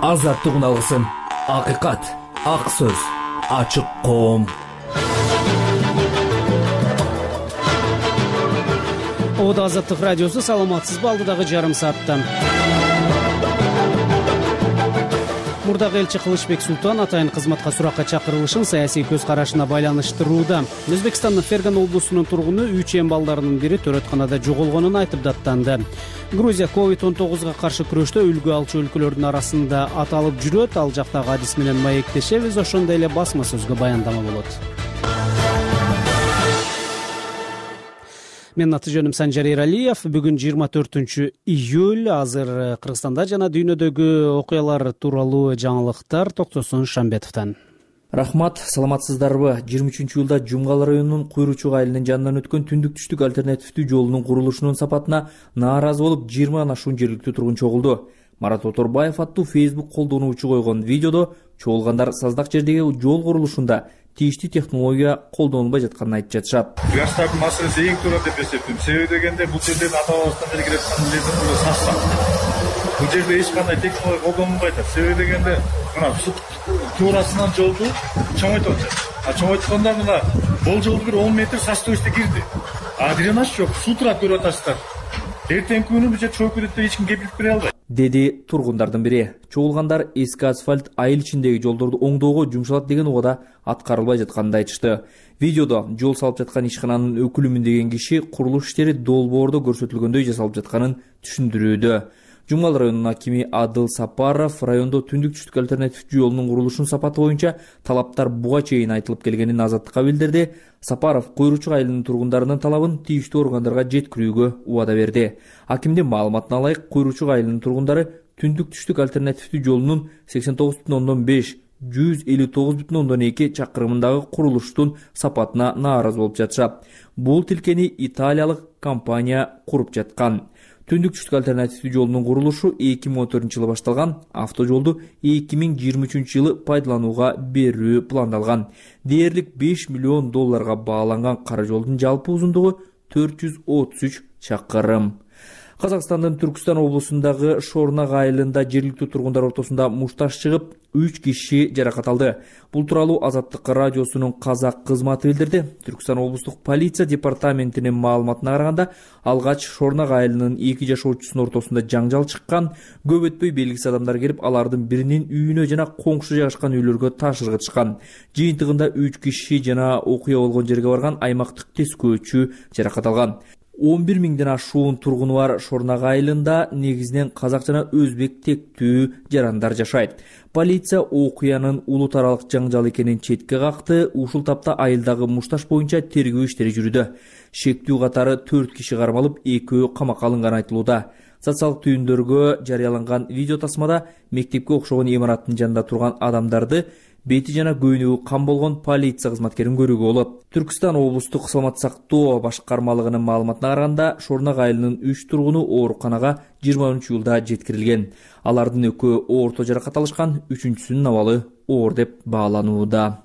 азаттык уналгысын. Акыйкат, ак сөз, ачык коом. Ода Азаттык радиосу, саламатсызбы? Алдыдагы жарым саатта мурдагы элчи Кылычбек Султан атайын кызматка суракка чакырылышын саясий көз карашына байланыштырууда. Өзбекстандын Ферган облусунун тургуну 3 эм балдарынын бири төрөтканада жоголгонун айтып даттанды. Грузия COVID-19 каршы күрөштө үлгү алчу өлкөлөрдүн арасында аталып жүрөт. Ал жактагы адис менен маектешебиз, ошондой эле басма сөзгө баяндама болот. Менин аты жөнүм Санжар Эралиев. Бүгүн 24 июль. Азыр Кыргызстанда жана дүйнөдөгү окуялар тууралуу жаңылыктар Токтосун Шамбетовдон. Рахмат, саламатсыздарбы? 23 июлда Жумгал районунун Куйручук айылынын жанынан өткөн түндүк-түштүк альтернативдүү жолунун курулушунун сапатына нааразы болуп 20 ашуун жергиликтүү тургун чогулду. Марат Оторбаев аттуу Facebook колдонуучу койгон видеодо чогулгандар саздак жердеги жол курулушунда тийиштүү технология колдонулбай жатканын айтып жатышат. Жаштардын маселеси эң туура деп эсептейм. Себеби дегенде бул жерден ата-бабабыздан бери келе жаткан лезде саста. Бул жерде эч кандай технология колдонулбай атат. Себеби дегенде мына туурасынан жолду чоңойтуп атышат. Чоңойткондо мына бул жолду бир 10 метр састойсто кирди. Дренаж жок, суу турат көрүп атасыздар. Эртеңки күнү бул жер чоюп кетет деп эч ким кепилдик бере албайт, деди тургундардын бири. Чогулгандар эски асфальт айыл ичиндеги жолдорду оңдоого жумшалат деген убада аткарылбай жатканын айтышты. Видеодо жол салып жаткан ишкананын өкүлүмүн деген киши курулуш иштери долбоордо көрсөтүлгөндөй жасалып жатканын түшүндүрүүдө. Жумгал районунун акими Адыл Сапаров райондо түндүк-түштүк альтернативдүү жолунун курулушунун сапаты боюнча талаптар буга чейин айтылып келгенин Азаттыкка билдирди. Сапаров Куйручук айылынын тургундарынын талабын тийиштүү органдарга жеткирүүгө убада берди. Акимдин маалыматына ылайык, Куйручук айылынын тургундары түндүк-түштүк альтернативдүү жолунун 89,5 159,2 чакырымындагы курулуштун сапатына нааразы болуп жатышат. Бул тилкени италиялык компания куруп жаткан. Түндүк-түштүк альтернативдүү жолунун курулушу 2014 жылы башталган, автожолду 2023 жылы пайдаланууга берүү пландалган. Дээрлик $5 миллион бааланган кара жолдун жалпы узундугу 433 чакырым. Казакстандын Түркстан облусундагы Шорнак айылында жергиликтүү тургундар ортосунда мушташ чыгып, 3 киши жаракат алды. Бул тууралуу Азаттык радиосунун казак кызматы билдирди. Түркстан облустук полиция департаментинин маалыматына караганда, алгач Шорнак айылынын 2 жашоочусунун ортосунда жаңжал чыккан. Көп өтпөй белгисиз адамдар келип, алардын биринин үйүнө жана коңшу жайгашкан үйлөргө таш ыргытышкан. Жыйынтыгында 3 киши жана окуя болгон жерге барган аймактык тескөөчү жаракат алган. 11 миңден ашуун тургуну бар Шорнак айылында негизинен казак жана өзбек тектүү жарандар жашайт. Полиция окуянын улут аралык жаңжал экенин четке какты. Ушул тапта айылдагы мушташ боюнча тергөө иштери жүрүүдө. Шектүү катары 4 киши кармалып, 2 камакка алынганы айтылууда. Социалдык түйүндөргө жарыяланган видео тасмада мектепке окшогон имараттын жанында турган адамдарды бети жана көйнөгү кан болгон полиция кызматкерин көрүүгө болот. Түркстан облустук саламат сактоо башкармалыгынын маалыматына караганда, Шорнак айылынын 3 тургуну ооруканага 20 июлда жеткирилген. Алардын экөө орто жаракат алышкан, үчүнчүсүнүн абалы оор деп бааланууда.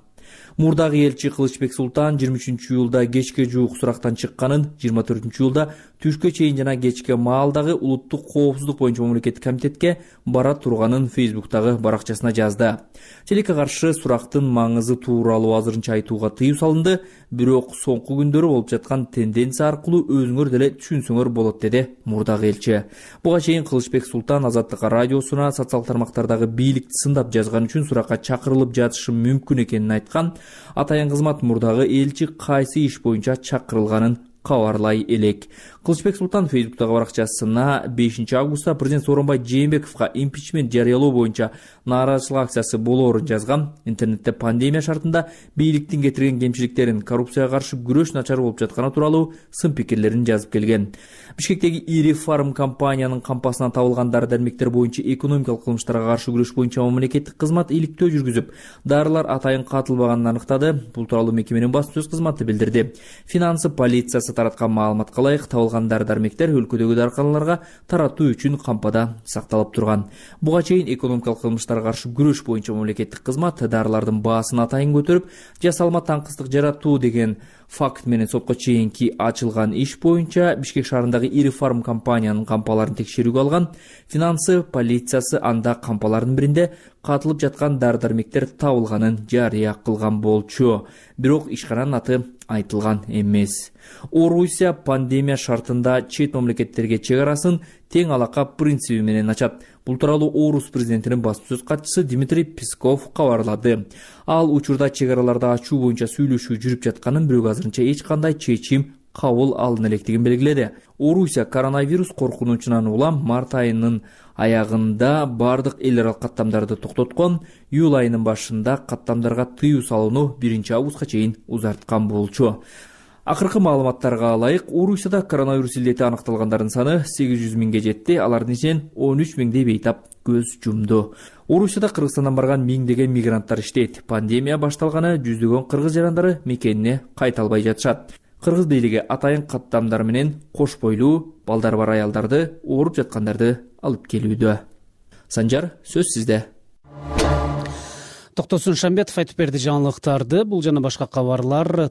Мурдагы элчи Кылычбек Султан 23 июлда кечке жуук сурактан чыкканын, 24 июлда түшкө чейин жана кечке маалдагы улуттук коопсуздук боюнча мамлекеттик комитетке бара турганын Facebook'тагы баракчасына жазды. Телекке каршы сурактын маңызы тууралуу азырынча айтууга тыюу салынды, бирок соңку күндөрү болуп жаткан тенденция аркылуу өзүңөр деле түшүнсөңөр болот, деди мурдагы элчи. Буга чейин Кылычбек Султан Азаттык радиосуна социалдык тармактардагы бийликти сындап жазган үчүн суракка чакырылып жатышы мүмкүн экенин айткан. Атайын кызмат мурдагы элчи кайсы иш боюнча чакырылганын кабарлай элек. Кылычбек Султан Facebook'тагы баракчасына 5 августта президент Сооронбай Жээнбековго импичмент жарыялоо боюнча нааразычылык акциясы болоорун жазган. Интернетте пандемия шартында бийликтин кетирген кемчиликтерин, коррупцияга каршы күрөш начар болуп жатканы тууралуу сын пикирлерин жазып келген. Бишкектеги ири фарм компаниянын кампасынан табылган дары-дармектер боюнча экономикалык кылмыштарга каршы күрөш боюнча мамлекеттик кызмат иликтөө жүргүзүп, дарылар атайын катылбаганын аныктады. Бул тууралуу мекеменин басма сөз кызматы билдирди. Финансы полициясы тараткан маалыматка ылайык, табылган калган дары-дармектер өлкөдөгү дарканаларга таратуу үчүн кампада сакталып турган. Буга чейин экономикалык кылмыштарга каршы күрөш боюнча мамлекеттик кызмат дарылардын баасын атайын көтөрүп, жасалма таңкыстык жаратуу деген факт менен сотко чейинки ачылган иш боюнча Бишкек шаарындагы ири фарм компаниянын кампаларын текшерүүгө алган. Финансы полициясы анда кампалардын биринде катылып жаткан дары-дармектер табылганын жарыя кылган болчу. Бирок ишкананын аты айтылган эмес. Орусия пандемия шартында чет мамлекеттерге чек арасын тең алака принциби менен ачат. Бул тууралуу Орус президентинин басма сөз катчысы Дмитрий Песков кабарлады. Ал учурда чек араларды ачуу боюнча сүйлөшүү жүрүп жатканын, бирок азырынча эч кандай чечим кабыл алына электигин белгиледи. Орусия коронавирус коркунучунан улам март айынын аягында бардык эл аралык каттамдарды токтоткон, июль айынын башында каттамдарга тыюу салууну 1 августка чейин узарткан болчу. Акыркы маалыматтарга ылайык, Орусияда коронавирус илдети аныкталгандардын саны 800 миңге жетти, алардын ичинен 13 миңдей бейтап көз жумду. Орусияда Кыргызстандан барган миңдеген мигранттар иштейт. Пандемия башталганы жүздөгөн кыргыз жарандары мекенине кайта албай жатышат. Кыргыз бийлиги атайын каттамдар менен кош бойлуу, балдары бар аялдарды, ооруп жаткандарды алып келүүдө. Санжар, сөз сизде. Токтосун Шамбетов айтып берди жаңылыктарды. Бул жана башка кабарлар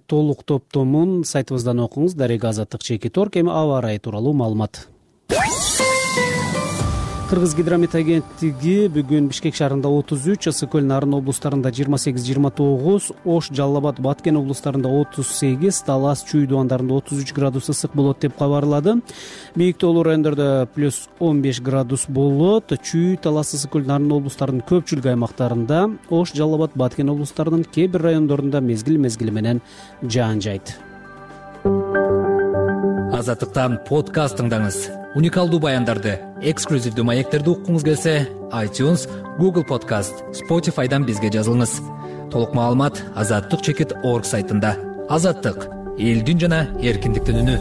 толук топтомун сайтыбыздан окуңуз. Дарега Азаттык Чекит.орг. Эми аба ырайы тууралуу маалымат. Кыргыз гидромет агенттиги бүгүн Бишкек шаарында 33, Ысык-Көл, Нарын облустарында 28-29, Ош, Жалал Абад, Баткен облустарында 38, Талас, Чүй дуандарында 33 градус ысык болот деп кабарлады. Бийиктөөлүү райондордо +15 градус болот. Чүй, Талас, Ысык-Көл, Нарын облустарынын көпчүлүк аймактарында, Ош, Жалал Абад, Баткен облустарынын кээ бир райондорунда мезгил менен жаан жайт. Азаттыктан подкаст тыңдаңыз. Уникалдуу баяндарды, эксклюзивдүү маектерди уккуңуз келсе, iTunes, Google Podcast, Spotify'дан бизге жазылыңыз. Толук маалымат azattik.org сайтында. Азаттык — элдин жана эркиндиктин үнү.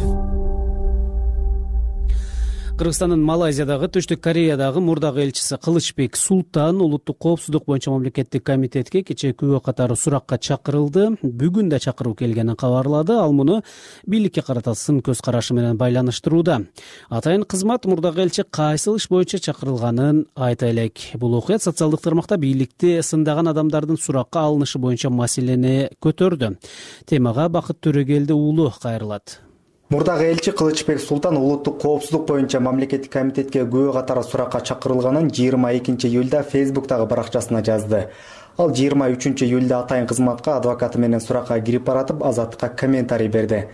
Кыргызстандын Малайзиядагы, Түштүк Кореядагы мурдагы элчиси Кылычбек Султан улуттук коопсуздук боюнча мамлекеттик комитетке кечээ күбө катары суракка чакырылды. Бүгүн да чакыруу келгенин кабарлады. Ал муну бийликке карата сын көз карашы менен байланыштырууда. Атайын кызмат мурдагы элчи кайсыл иш боюнча чакырылганын айта элек. Бул окуя социалдык тармакта бийликти сындаган адамдардын суракка алынышы боюнча маселени көтөрдү. Темага Бакыт Төрөгелди уулу кайрылат. Мурдагы элчи Кылычбек Султан улуттук коопсуздук боюнча мамлекеттик комитетке күбө катары суракка чакырылганын 22 июлда Facebook'тагы баракчасына жазды. Ал 23 июлда атайын кызматка адвокаты менен суракка кирип баратып, Азаттыкка комментарий берди.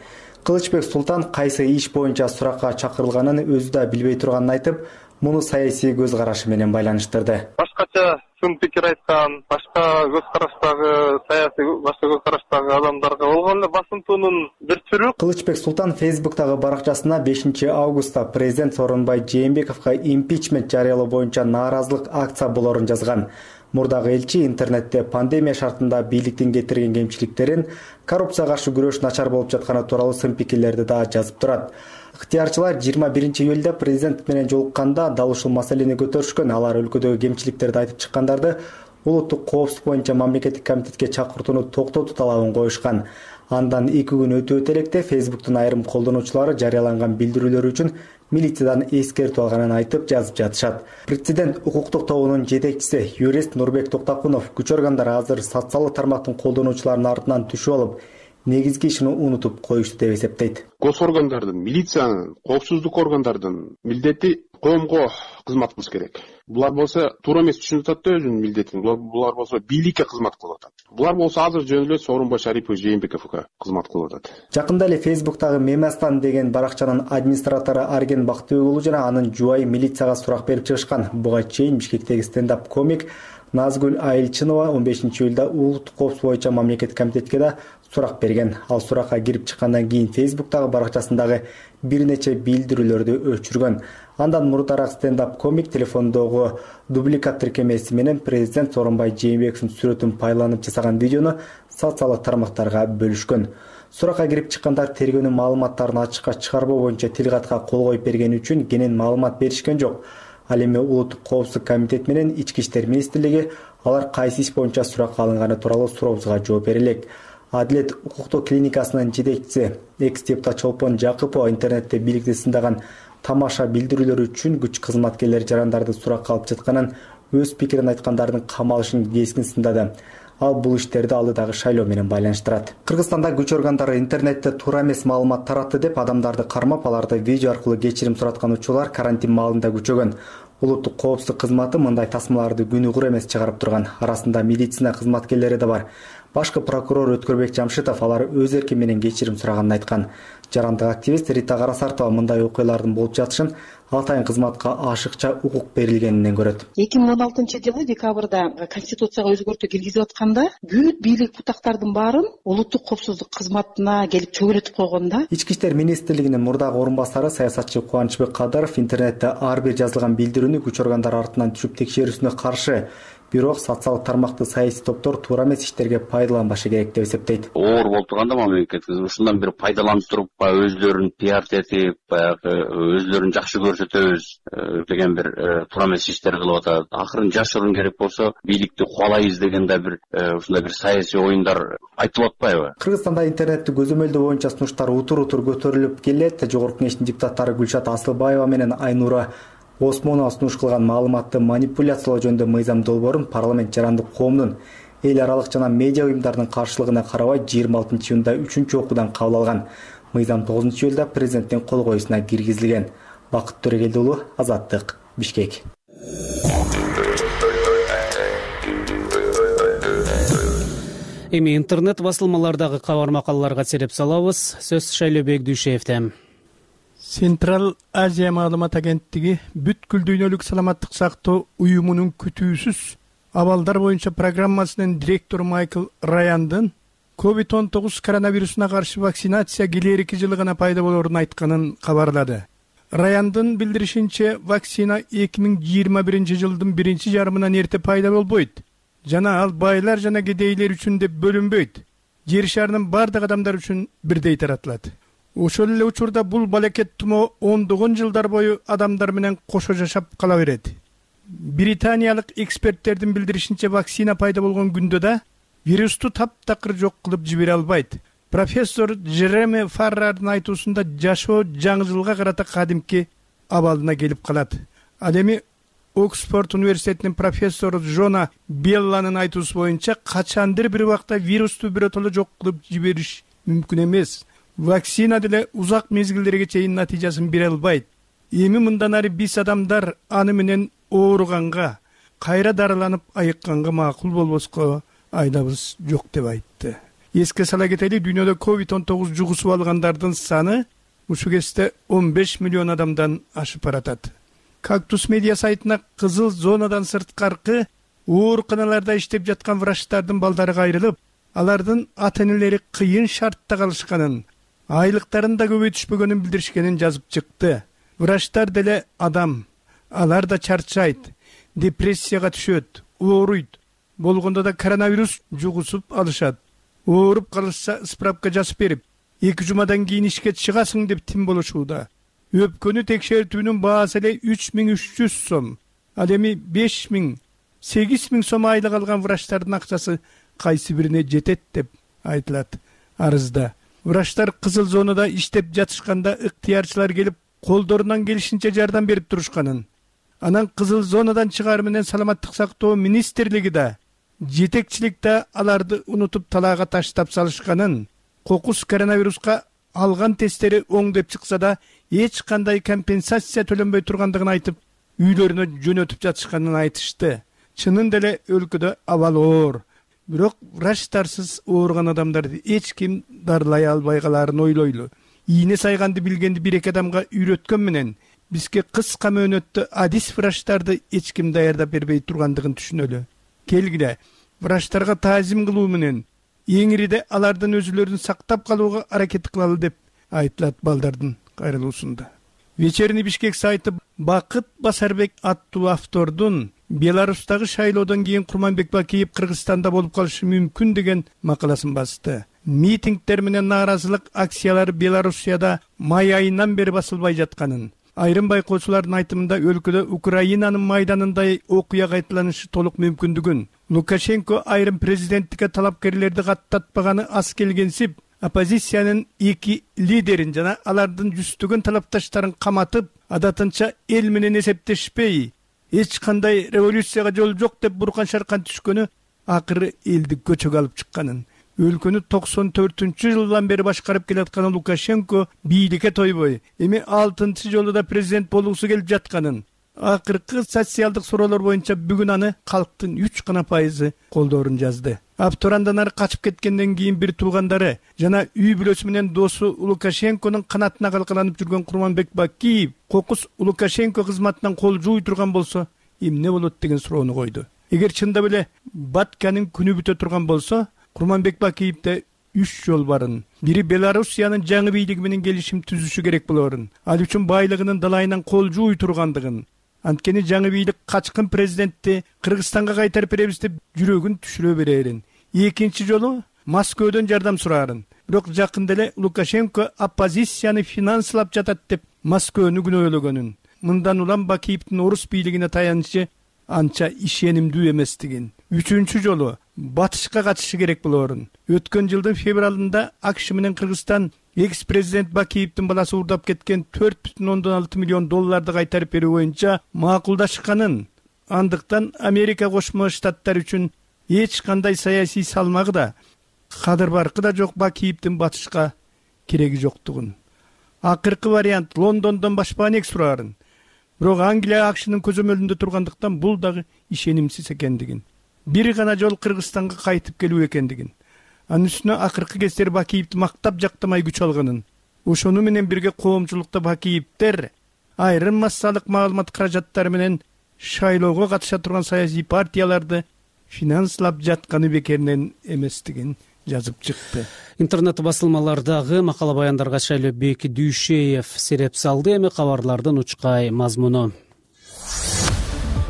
Кылычбек Султан кайсы иш боюнча суракка чакырылганын өзү да билбей турганын айтып, муну саясий көз карашы менен байланыштырды. Башкача сын пикир айткан, башка көз караштагы саясий башка көз караштагы адамдарга болгон эле басынтуунун бир түрү. Кылычбек Султан Facebook'тагы баракчасына 5 августта президент Сооронбай Жээнбековго импичмент жарыялоо боюнча нааразылык акция болорун жазган. Мурдагы элчи интернетте пандемия шартында бийликтин кетирген кемчиликтерин, коррупцияга каршы күрөш начар болуп жатканы тууралуу сын пикирлерди да жазып турат. Ыктыярчылар 21 июлда президент менен жолукканда дал ушул маселени көтөрүшкөн. Алар өлкөдөгү кемчиликтерди айтып чыккандарды улуттук коопсуздук боюнча мамлекеттик комитетке чакыртууну токтотуу талабын коюшкан. Андан 2 күн өтүп электе Facebook'тун айрым колдонуучулары жарыяланган билдирүүлөр үчүн милициядан эскертүү алганын айтып жазып жатышат. Президент укуктук тобунун жетекчиси юрист Нурбек Токтакунов күч органдары азыр социалдык тармактын колдонуучуларынын артынан түшүп алып, негизги ишин унутуп коюшту деп эсептейт. Гос органдардын, милициянын, коопсуздук органдардын милдети коомго кызмат кылыш керек. Булар болсо туура эмес түшүнүп атат да өзүнүн милдетин. Булар болсо бийликке кызмат кылып атат. Булар болсо азыр жөн эле Сооронбай Шарипович Жээнбековго кызмат кылып атат. Жакында эле Facebook'тагы Мемастан деген баракчанын администратору Арген Бактыгулу жана анын жубайы милицияга сурак берип чыгышкан. Буга чейин Бишкектеги стендап комик Назгүл Айылчынова 15 июлда улуттук коопсуздук боюнча мамлекеттик комитетке да сурак берген. Ал суракка кирип чыккандан кийин Facebook'тагы баракчасындагы бир нече билдирүүлөрдү өчүргөн. Андан мурдараак стендап комик телефондогу дубликат тиркемеси менен президент Сооронбай Жээнбековдун сүрөтүн пайдаланып жасаган видеону социалдык тармактарга бөлүшкөн. Суракка кирип чыккандар тергөөнүн маалыматтарын ачыкка чыгарбоо боюнча тил катка кол коюп бергени үчүн кенен маалымат беришкен жок. Ал эми улуттук коопсуздук комитет менен Ички иштер министрлиги алар кайсы иш боюнча суракка алынганы тууралуу сурообузга жооп бере элек. Адилет укуктук клиникасынын жетекчиси экс-депутат Чолпон Жакыпова интернетте бийликти сындаган тамаша билдирүүлөр үчүн күч кызматкерлери жарандарды суракка алып жатканын, өз пикирин айткандардын камалышын кескин сындады. Ал бул иштерди алдыдагы шайлоо менен байланыштырат. Кыргызстанда күч органдары интернетте туура эмес маалымат таратты деп адамдарды кармап, аларды видео аркылуу кечирим сураткан учурлар карантин маалында күчөгөн. Улуттук коопсуздук кызматы мындай тасмаларды күнүгөр эмес чыгарып турган. Арасында медицина кызматкерлери да бар. Башкы прокурор Өткөрбек Жамшитов алар өз эрки менен кечирим сураганын айткан. Жарандык активист Рита Карасартова мындай окуялардын болуп жатышын атайын кызматка ашыкча укук берилгенинен көрөт. 2016-жылы декабрда Конституцияга өзгөртүү киргизип атканда бүт бийлик бутактардын баарын улуттук коопсуздук кызматына келип чөгөлөтүп койгон да. Ички иштер министрлигинин мурдагы орун басары саясатчы Кубанычбек Кадыров интернетте ар бир жазылган билдирүүнү күч органдары артынан түшүп текшерүүсүнө каршы. Бирок социалдык тармакты саясий топтор туура эмес иштерге пайдаланбашы керек деп эсептейт. Оор болуп турганда мамлекет ушундан бир пайдаланып туруп, өзлөрүн пиарт этип, баягы өзлөрүн жакшы көрсөтөбүз деген бир туура эмес иштерди кылып атат. Акырын жашыруун керек болсо, бийликти кубалайбыз деген да бир ушундай бир саясий оюндар айтылып атпайбы? Кыргызстанда интернетти көзөмөлдөө боюнча сунуштар утур-утур көтөрүлүп келет. Жогорку Кеңештин депутаттары Гүлшат Асылбаева менен Айнура Осмонова сунуш кылган маалыматты манипуляциялоо жөнүндө мыйзам долбоорун парламент жарандык коомдун эл аралык жана медиа уюмдардын каршылыгына карабай 26-июнда 3-чү окуудан кабыл алган. Мыйзам 9-июлда президенттин кол коюусуна киргизилген. Бакыт Төрөгелди уулу, Азаттык, Бишкек. Эми интернет басылмалардагы кабар макалаларга сереп салабыз. Сөз Шайлообек Дүйшеевде. Централ Азия маалымат агенттиги бүткүл дүйнөлүк саламаттык сактоо уюмунун күтүүсүз абалдар боюнча программасынын директору Майкл Раяндын COVID-19 коронавирусуна каршы вакцинация келерки жылы гана пайда болорун айтканын кабарлады. Раяндын билдиришинче, вакцина 2021 жылдын биринчи жарымынан эрте пайда болбойт жана ал байлар жана кедейлер үчүн деп бөлүнбөйт. Жер шарынын бардык адамдар үчүн бирдей таратылат. Ошол эле учурда бул балекет тумоо ондогон жылдар бою адамдар менен кошо жашап кала берет. Британиялык эксперттердин билдиришинче, вакцина пайда болгон күндө да вирусту таптакыр жок кылып жибере албайт. Профессор Джереми Фаррардын айтуусунда жашоо жаңы жылга карата кадимки абалына келип калат. Ал эми Оксфорд университетинин профессору Жона Белланын айтуусу боюнча, качандыр бир убакта вирусту биротоло жок кылып жибериш мүмкүн эмес. Вакцина деле узак мезгилдерге чейин натыйжасын бере албайт. Эми мындан ары биз адамдар аны менен ооруганга, кайра дарыланып айыкканга макул болбоско айдабыз жок деп айтты. Эске сала кетели, дүйнөдө COVID-19 жугусуп алгандардын саны ушу кезде 15 миллион адамдан ашып баратат. Кактус медиа сайтына кызыл зонадан сырткаркы ооруканаларда иштеп жаткан врачтардын балдары кайрылып, алардын ата-энелери кыйын шартта калышканын, айлыктарын да көбөйтүшпөгөнүн билдиришкенин жазып чыкты. Врачтар деле адам, алар да чарчайт, депрессияга түшөт, ооруйт. Болгондо да коронавирус жугусуп алышат. Ооруп калышса справка жазып берип, 2 жумадан кийин ишке чыгасың деп тим болушууда. Өпкөнү текшертүүнүн баасы эле 3300 сом. Ал эми 5000, 8000 сом айлык алган врачтардын акчасы кайсы бирине жетет деп айтылат арызда. Врачтар кызыл зонада иштеп жатышканда ыктыярчылар келип, колдорунан келишинче жардам берип турушканын. Анан кызыл зонадан чыгаар менен саламаттык сактоо министрлиги да, жетекчилик да аларды унутуп талаага таштап салышканын, кокус коронавируска алган тесттери оң деп чыкса да, эч кандай компенсация төлөнбөй тургандыгын айтып, үйлөрүнө жөнөтүп жатышканын айтышты. Чынын деле өлкөдө абал оор. Бирок врачтарсыз ооруган адамдарды эч ким дарылай албай калаарын ойлойлу. Ийне сайганды билгенди бир-эки адамга үйрөткөн менен бизге кыска мөөнөттө адис врачтарды эч ким даярдап бербей тургандыгын түшүнөлү. Келгиле, врачтарга таазим кылуу менен эң ириде алардын өзүлөрүн сактап калууга аракет кылалы деп айтылат балдардын кайрылуусунда. Вечерний Бишкек сайты Бакыт Басарбек аттуу автордун Беларустагы шайлоодон кийин Курманбек Бакиев Кыргызстанда болуп калышы мүмкүн деген макаласын басты. Митингдер менен нааразылык акциялары Белоруссияда май айынан бери басылбай жатканын, айрым байкоочулардын айтымында өлкөдө Украинанын майданындай окуя кайталанышы толук мүмкүндүгүн, Лукашенко айрым президенттикке талапкерлерди каттатпаганы аз келгенсип, оппозициянын эки лидерин жана алардын жүздөгөн талапташтарын каматып, адатынча эл менен эсептешпей, эч кандай революцияга жол жок деп буркан шаркан түшкөнү акыры элди көчөгө алып чыкканын. Өлкөнү 94-жылдан бери башкарып келаткан Лукашенко бийликке тойбой, эми 6-й жолу да президент болуусу келип жатканын, акыркы социалдык суроолор боюнча бүгүн аны калктын 3% колдоорун жазды. Абтурандан ары качып кеткенден кийин бир туугандары жана үй бүлөсү менен досу Лукашенконун канатына калкаланып жүргөн Курманбек Бакиев кокус Лукашенко кызматынан кол жууй турган болсо эмне болот деген суроону койду. Эгер чындап эле Батканын күнү бүтө турган болсо, Курманбек Бакиевде 3 жол барын. Бири Белоруссиянын жаңы бийлиги менен келишим түзүшү керек болорун, ал үчүн байлыгынын далайынан кол жууй тургандыгын, анткени жаңы бийлик качкын президентти Кыргызстанга кайтарып беребиз деп жүрөгүн түшүрө берерин. Экинчи жолу Москвадан жардам сурарын. Бирок жакында эле Лукашенко оппозицияны финанслап жатат деп Москваны күнөөлөгөнүн. Мындан улам Бакиевдин орус бийлигине таянычы анча ишенимдүү эместигин. Үчүнчү жолу батышка качышы керек болорун. Өткөн жылдын февралында АКШ менен Кыргызстан экс-президент Бакиевдин баласы урдап кеткен 4,6 миллион долларды кайтарып берүү боюнча макулдашканын. Андыктан Америка Кошмо Штаттары үчүн эч кандай саясий салмагы да, кадыр баркы да жок Бакиевдин батышка кереги жоктугун. Акыркы вариант Лондондон башпаанек сурарын. Бирок Англия АКШнын көзөмөлүндө тургандыктан бул дагы ишенимсиз экендигин. Бир гана жол Кыргызстанга кайтып келүү экендигин. Анын үстүнө акыркы кездери Бакиевди мактап жактамай күч алганын. Ошону менен бирге коомчулукта Бакиевдер айрым массалык маалымат каражаттары менен шайлоого катыша турган саясий партияларды финанслап жатканы бекеринен эместигин жазып чыкты. Интернет басылмалардагы макала баяндарга Шайлообек Дүйшеев сереп салды. Эми кабарлардын учкай мазмуну.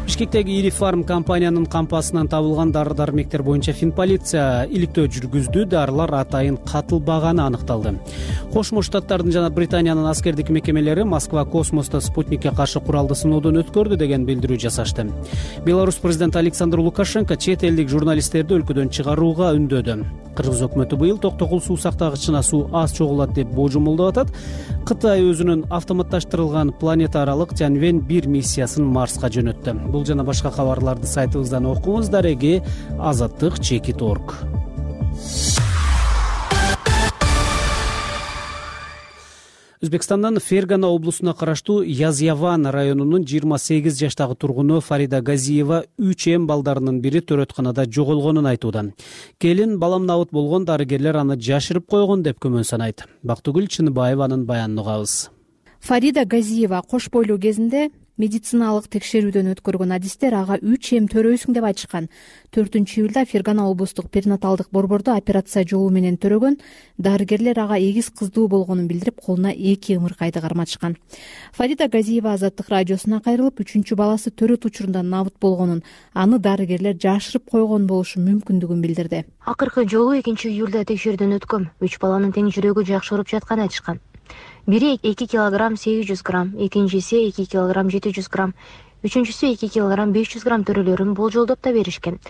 Бишкектеги ири фарм компаниянын кампасынан табылган дары-дармектер боюнча Финполиция иликтөө жүргүздү. Дарылар атайын катылбаганы аныкталды. Кошмо Штаттардын жана Британиянын аскердик мекемелери Москва космосто спутникке каршы куралды сыноодон өткөрдү деген билдирүү жасашты. Беларусь президенти Александр Лукашенко чет элдик журналисттерди өлкөдөн чыгарууга үндөдү. Кыргыз өкмөтү быйыл токтогул суу сактагычына суу аз чогулат деп божомолдоп атат. Кытай өзүнүн автоматташтырылган планета аралык Тяньвэнь 1 миссиясын Марска жөнөттү. Бул жана башка кабарларды сайтыбыздан окуңуз. Дареги azattik.org. Өзбекстандын Фергана облусуна караштуу Язяван районунун 28 жаштагы тургуну Фарида Газиева 3 балдарынын бири төрөтканада жоголгонун айтууда. Келин балам набыт болгон, дарыгерлер аны жашырып койгон деп күмөн санайт. Бактыгүл Чыныбаеванын баянын угабыз. Фарида Газиева кош бойлуу кезинде медициналык текшерүүдөн өткөргөн адистер ага 3 төрөйсүң деп айтышкан. 4-июлда Фергана облустук перинаталдык борбордо операция жолу менен төрөгөн. Дарыгерлер ага эгиз кыздуу болгонун билдирип, колуна 2 ымыркайды карматышкан. Фарида Газиева Азаттык радиосуна кайрылып, 3 баласы төрөт учурунда набыт болгонун, аны дарыгерлер жашырып койгон болушу мүмкүндүгүн билдирди. Акыркы жолу 2-июлда текшерүүдөн өткөм. 3 баланын тең жүрөгү жакшы уруп жатканын айтышкан. Бири 2 килограмм 800 грамм, экинчиси 2 килограмм 700 грамм, үчүнчүсү 2 килограмм 500 грамм төрөлөрүн болжолдоп да беришкен.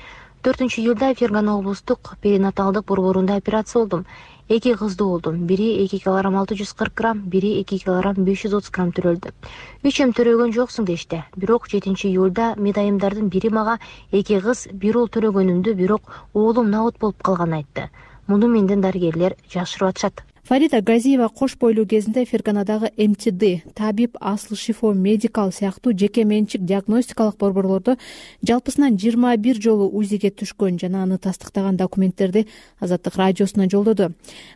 4-июлда Фергана облустук перинаталдык борборунда операция болдум. 2 кыздуу болдум. Бири 2 килограмм 640 грамм, бири 2 килограмм 530 грамм төрөлдү. 3 төрөгөн жоксуң дешти. Бирок 7-июлда медайымдардын бири мага 2 кыз, 1 уул төрөгөнүмдү, бирок уулум набыт болуп калганын айтты. Муну менден дарыгерлер жашырып атышат. Фарида Газиева кош бойлуу кезинде Ферганадагы МТД, Табиб Асыл Шифо Медикал сыяктуу жеке менчик диагностикалык борборлордо жалпысынан 21 жолу УЗИге түшкөн жана аны тастыктаган документтерди Азаттык радиосуна жолдоду.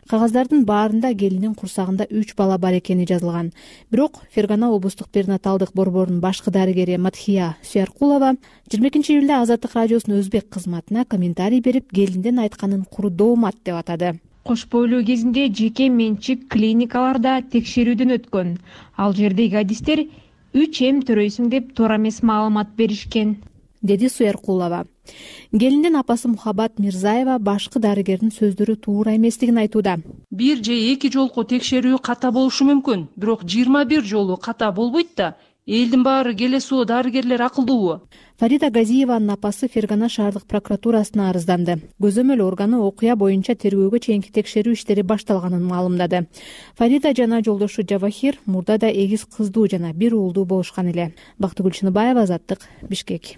Кагаздардын баарында келинин курсагында 3 бала бар экени жазылган. Бирок Фергана облустук перинаталдык борборунун башкы дарыгери Матхия Суяркулова 22-июлда Азаттык радиосунун өзбек кызматына комментарий берип, келиндин айтканын куру доомат деп атады. Кош бойлуу кезинде жеке менчик клиникаларда текшерүүдөн өткөн. Ал жердеги адистер 3 төрөйсүң деп туура эмес маалымат беришкен, деди Суяркулова. Келиндин апасы Мухаббат Мирзаева башкы дарыгердин сөздөрү туура эместигин айтууда. 1 же 2 жолку текшерүү ката болушу мүмкүн, бирок 21 жолу ката болбойт да. элдин баары келесиби, дарыгерлер акылдуубу? Фарида Газиеванын апасы Фергана шаардык прокуратурасына арызданды. Көзөмөл органы окуя боюнча тергөөгө чейинки текшерүү иштери башталганын маалымдады. Фарида жана жолдошу Жавахир мурда да эгиз кыздуу жана бир уулдуу болушкан эле. Бактыгүл Чыныбаева, Азаттык, Бишкек.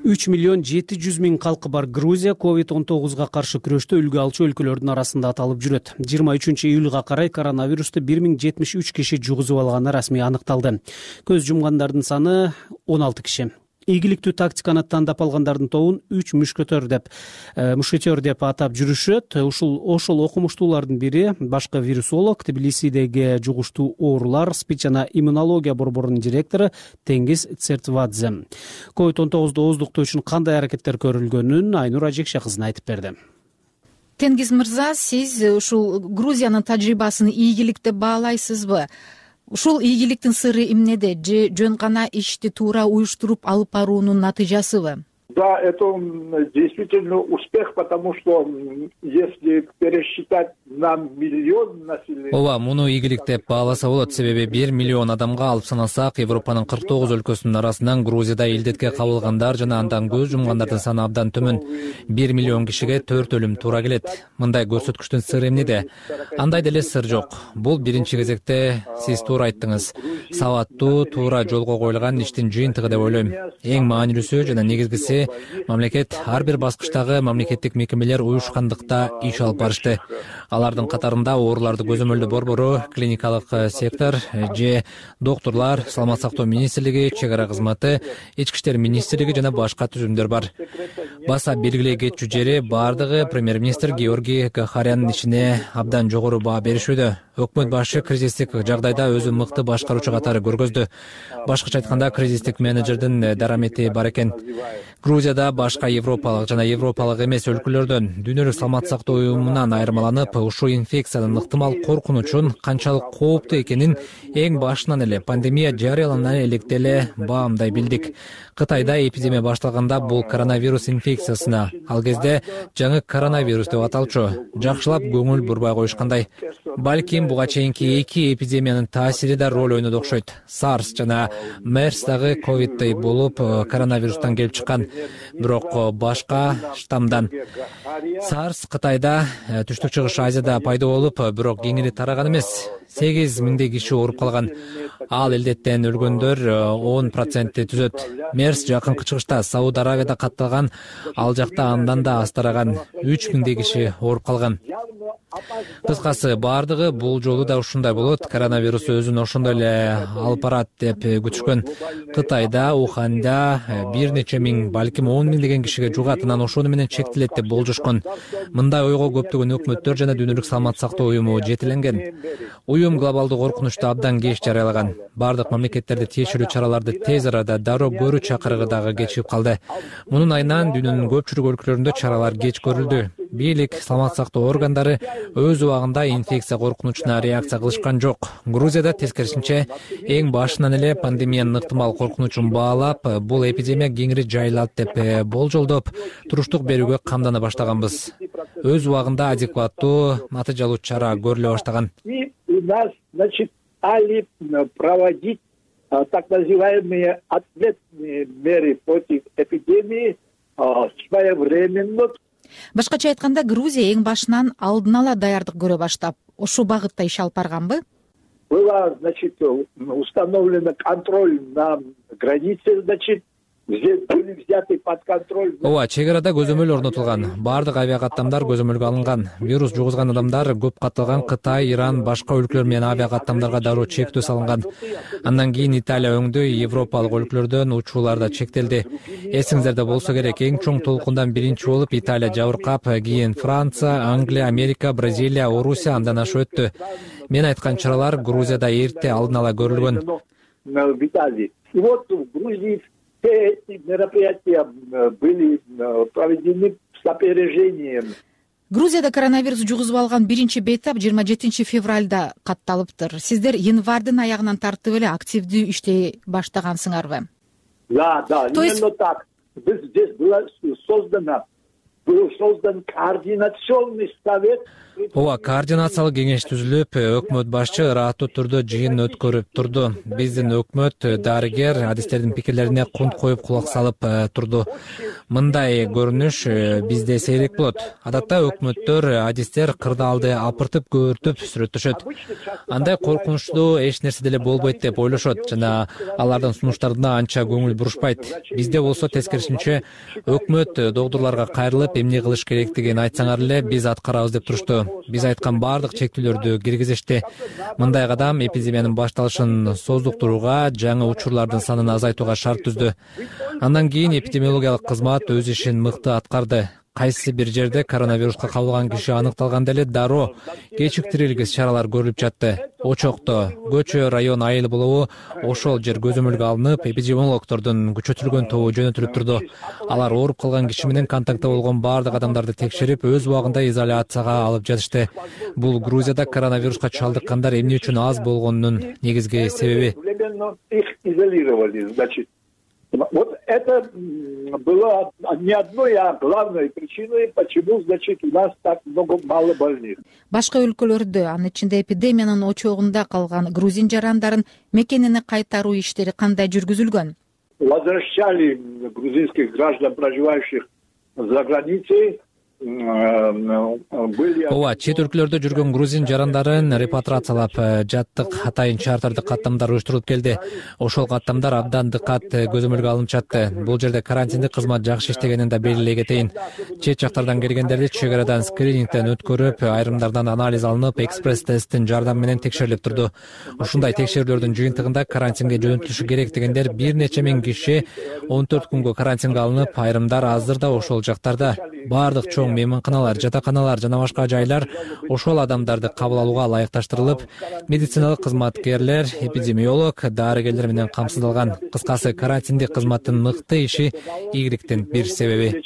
3.700.000 калкы бар Грузия COVID-19 каршы күрөштө үлгү алчу өлкөлөрдүн арасында аталып жүрөт. 23-июлга карай коронавирусту 1073 киши жугузуп алганы расмий аныкталды. Көз жумгандардын саны 16 киши. Ийгиликтүү тактиканы тандап алгандардын тобун 3 мушкетер деп атап жүрүшөт. Ошол окумуштуулардын бири башкы вирусолог, Тбилисидеги жугуштуу оорулар, СПИД жана иммунология борборунун директору Теңиз Цертвадзе. COVID-19 ооздуктоо үчүн кандай аракеттер көрүлгөнүн Айнур Ажекша кызына айтып берди. Теңиз мырза, сиз ушул Грузиянын тажрыйбасын ийгилик деп баалайсызбы? Ушул ийгиликтин сыры эмнеде? Же жөн гана ишти туура уюштуруп алып баруунун натыйжасыбы? Да, это действительно успех, потому что если пересчитать на миллион населения... Ооба, муну ийгилик деп бааласа болот, себеби 1 миллион адамга алып санасак, Европанын 49 өлкөсүнүн арасынан Грузияда илдетке кабылгандар жана андан көз жумгандардын саны абдан төмөн. 1 миллион кишиге 4 өлүм туура келет. Мындай көрсөткүчтүн сыры эмнеде? Андай деле сыр жок. Бул биринчи кезекте сиз туура айттыңыз. Сабаттуу, туура жолго коюлган иштин жыйынтыгы деп ойлойм. Эң маанилүүсү жана негизгиси мамлекет ар бир баскычтагы мамлекеттик мекемелер уюшкандыкта иш алып барышты. Алардын катарында ооруларды көзөмөлдөө борбору, клиникалык сектор же доктурлар, саламат сактоо министрлиги, чек ара кызматы, ички иштер министрлиги жана башка түзүмдөр бар. Баса белгилей кетчү жери бардыгы премьер-министр Георгий Гахаряндын ишине абдан жогору баа беришүүдө. Өкмөт башы кризистик жагдайда өзү мыкты башкаруучу катары көргөздү. Башкача айтканда, кризистик менеджердин дарамети бар экен. Грузияда башка европалык жана европалык эмес өлкөлөрдөн Дүйнөлүк саламат сактоо уюмунан айырмаланып, ушул инфекциянын ыктымал коркунучун канчалык кооптуу экенин эң башынан эле пандемия жарыялана электе эле баамдай билдик. Кытайда эпидемия башталганда бул коронавирус инфекциясына, ал кезде жаңы коронавирус деп аталчу, жакшылап көңүл бурбай коюшкандай. Балким буга чейинки эки эпидемиянын таасири да роль ойноду окшойт. SARS жана MERS дагы ковиддей болуп коронавирустан келип чыккан, бирок башка штаммдан. SARS Кытайда, Түштүк Чыгыш Азияда пайда болуп, бирок кеңири тараган эмес. 8 миңдей киши ооруп калган. Ал илдеттен өлгөндөр 10% түзөт. MERS жакынкы чыгышта Сауд Аравияда катталган, ал жакта андан да аз тараган. 3 миңдей киши ооруп калган. Кыскасы, бардыгы бул жолу да ушундай болот. Коронавирус өзүн ошондой эле алып барат деп күтүшкөн. Кытайда, Уханда бир нече миң, балким 10 миңдеген кишиге жугат, анан ошону менен чектелет деп болжошкон. Мындай ойго көптөгөн өкмөттөр жана Дүйнөлүк саламат сактоо уюму жетеленген. Уюм глобалдуу коркунучту абдан кеч жарыялаган. Бардык мамлекеттерди тиешелүү чараларды тез арада дароо көрүү чакырыгы дагы кечигип калды. Мунун айынан дүйнөнүн көпчүлүк өлкөлөрүндө чаралар кеч көрүлдү. Бийлик, саламат сактоо органдары өз убагында инфекция коркунучуна реакция кылышкан жок. Грузияда тескерисинче эң башынан эле пандемиянын ыктымал коркунучун баалап, бул эпидемия кеңири жайылат деп болжолдоп, туруштук берүүгө камдана баштаганбыз. Өз убагында адекваттуу, натыйжалуу чара көрүлө баштаган. У нас, значит, стали проводить так называемые ответные меры против эпидемии своевременно. Башкача айтканда, Грузия эң башынан алдын ала даярдык көрө баштап, ошол багытта иш алып барганбы? Была, значит, установлена контроль на границе, значит, были взяты под контроль. Ооба, чек арада көзөмөл орнотулган. Бардык авиакаттамдар көзөмөлгө алынган. Вирус жугузган адамдар көп катталган Кытай, Иран, башка өлкөлөр менен авиакаттамдарга дароо чектөө салынган. Андан кийин Италия өңдүү Европалык өлкөлөрдөн учуулар да чектелди. Эсиңиздерде болсо керек, эң чоң толкундан биринчи болуп Италия жабыркап, кийин Франция, Англия, Америка, Бразилия, Орусия андан ашып өттү. Мен айткан чаралар Грузияда эрте алдын ала көрүлгөн. И вот в Грузии все эти мероприятия были проведены с опережением. Грузияда коронавирус жугузуп алган биринчи бейтап 27 февралда катталыптыр. Сиздер январдын аягынан тартып эле активдүү иштей баштагансыңарбы? Да, именно так. Здесь был создан координационный совет. ооба, координациялык кеңеш түзүлүп, өкмөт башчы ыраттуу түрдө жыйын өткөрүп турду. Биздин өкмөт дарыгер адистердин пикирлерине кунт коюп кулак салып турду. Мындай көрүнүш бизде сейрек болот. Адатта өкмөттөр адистер кырдаалды апыртып көөртүп сүрөттөшөт. Андай коркунучтуу эч нерсе деле болбойт деп ойлошот жана алардын сунуштарына анча көңүл бурушпайт. Бизде болсо тескерисинче өкмөт догдурларга кайрылып эмне кылыш керектигин айтсаңар эле биз аткарабыз деп турушту. Биз айткан баардык чектөөлөрдү киргизишти. Мындай кадам эпидемиянын башталышын создуктурууга, жаңы учурлардын санын азайтууга шарт түздү. Андан кийин эпидемиологиялык кызмат өз ишин мыкты аткарды. Кайсы бир жерде коронавируска кабылган киши аныкталганда эле дароо кечиктирилгис чаралар көрүлүп жатты. Очокто, көчө, район айыл болобу ошол жер көзөмөлгө алынып, эпидемиологдордун күчөтүлгөн тобу жөнөтүлүп турду. Алар ооруп калган киши менен контактта болгон баардык адамдарды текшерип, өз убагында изоляцияга алып жатышты. Бул Грузияда коронавируска чалдыккандар эмне үчүн аз болгонунун негизги себеби. Вот это было не одной, а главной причиной, почему, значит, у нас так мало больных. Башка өлкөлөрдө, анын ичинде эпидемиянын очогунда калган грузин жарандарын мекенине кайтаруу иштери кандай жүргүзүлгөн? Возвращали грузинских граждан, проживающих за границей. Ооба, чет өлкөлөрдө жүргөн грузин жарандарын репатрациялап жаттык. Атайын чартардык каттамдар уюштурулуп келди. Ошол каттамдар абдан дыкат көзөмөлгө алынып жатты. Бул жерде карантиндик кызмат жакшы иштегенин да белгилей кетейин. Чет жактардан келгендерди чек арадан скринингден өткөрүп, айрымдардан анализ алынып, экспресс тесттин жардамы менен текшерилип турду. Ушундай текшерүүлөрдүн жыйынтыгында карантинге жөнөтүлүшү керек дегендер бир нече миң киши 14 күнгө карантинге алынып, айрымдар азыр да ошол жактарда. Баардык чоң мейманканалар, жатаканалар жана башка жайлар ошол адамдарды кабыл алууга ылайыкташтырылып, медициналык кызматкерлер, эпидемиолог, дарыгерлер менен камсыздалган. Кыскасы, карантиндик кызматтын мыкты иши игиликтин бир себеби.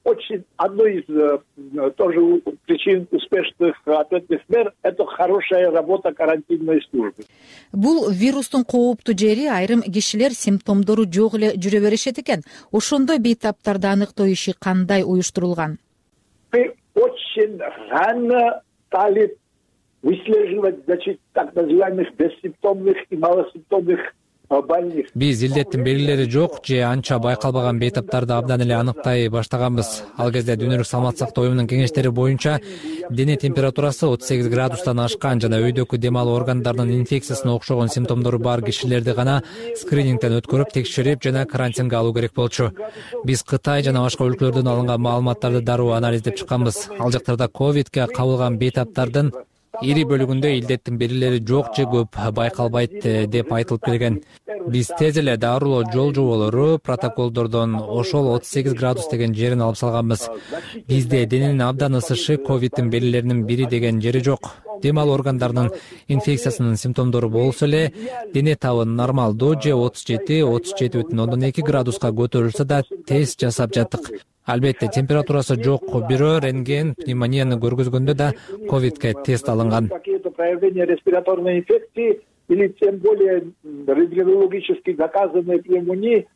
Очень одной из тоже причин успешных ответных мер – это хорошая работа карантинной службы. Бул вирустун кооптуу жери айрым кишилер симптомдору жок эле жүрө беришет экен. Ошондо бейтаптарды аныктоо иши кандай уюштурулган? Мы очень рано стали выслеживать, значит, так называемых бессимптомных и малосимптомных больных. Биз илдеттин белгилери жок же анча байкалбаган бейтаптарды абдан эле аныктай баштаганбыз. Ал кезде Дүйнөлүк саламаттык сактоо уюмунун кеңештери боюнча дене температурасы 38 градустан ашкан жана өйдөкү дем алуу органдарынын инфекциясына окшогон симптомдору бар кишилерди гана скринингден өткөрүп, текшерип жана карантинге алуу керек болчу. Биз Кытай жана башка өлкөлөрдөн алынган маалыматтарды дароо анализдеп чыкканбыз. Ал жактарда ковидке кабылган бейтаптардын ири бөлүгүндө илдеттин белгилери жок же көп байкалбайт деп айтылып келген. Биз тез эле дарылоо жол жоболору, протоколдордон ошол 38 градус деген жерин алып салганбыз. Бизде дененин абдан ысышы ковидтин белгилеринин бири деген жери жок. Дем алуу органдарынын инфекциясынын симптомдору болсо эле, дене табы нормалдуу же 37,2 градуска көтөрүлсө да тест жасап жаттык. Албетте, температурасы жок бирөө рентген пневмонияны көргөзгөндө да ковидке тест алынган. Какие-то проявления респираторной инфекции или тем более рентгенологически доказанной пневмонии,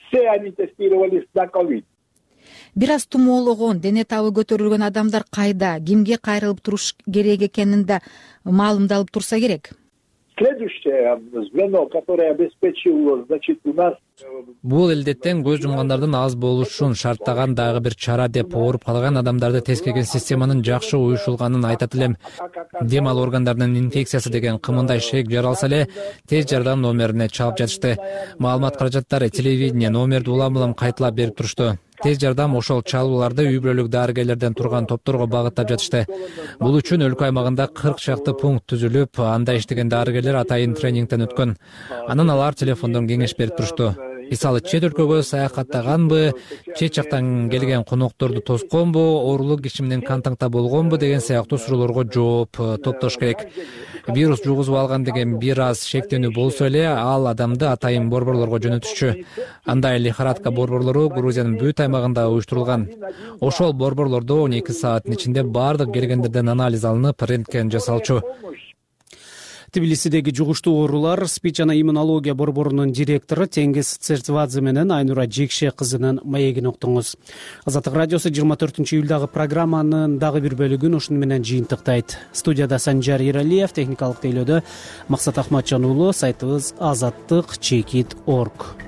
все они тестировались на ковид. Бир аз тумоологон, дене табы көтөрүлгөн адамдар кайда, кимге кайрылып туруш керек экенин да маалымдалып турса керек. Следующее звено, которое обеспечило, значит, у нас... Бул илдеттен көз жумгандардын аз болушун шарттаган дагы бир чара деп ооруп калган адамдарды тескерген системанын жакшы уюшулганын айтат элем. Дем алуу органдарынын инфекциясы деген кымындай шек жаралса эле, тез жардам номерине чалып жатышты. Маалымат каражаттары телевидение номерди улам-улам кайталап берип турушту. Тез жардам ошол чалууларды үй бүлөлүк дарыгерлерден турган топторго багыттап жатышты. Бул үчүн өлкө аймагында 40 чакты пункт түзүлүп, анда иштеген дарыгерлер атайын тренингден өткөн. Анан алар телефондон кеңеш берип турушту. Мисалы, чет өлкөгө саякаттаганбы, чет жактан келген конокторду тосконбу, оорулуу киши менен контактта болгонбу деген сыяктуу суроолорго жооп топтош керек. Вирус жугузуп алган деген бир аз шектенүү болсо эле, ал адамды атайын борборлорго жөнөтүшчү. Андай лихорадка борборлору Грузиянын бүт аймагында уюштурулган. Ошол борборлордо 12 сааттын ичинде бардык келгендерден анализ алынып, рентген жасалчу. Тбилисидеги жугуштуу оорулар спич жана иммунология борборунун директору Теңиз Цертвадзе менен Айнура Жекше кызынын маегин уктуңуз. Азаттык радиосу 24-июлдагы программанын дагы бир бөлүгүн ушуну менен жыйынтыктайт. Студияда Санжар Иралиев, техникалык тейлөөдө Максат Ахматжан уулу, сайтыбыз azattik.org.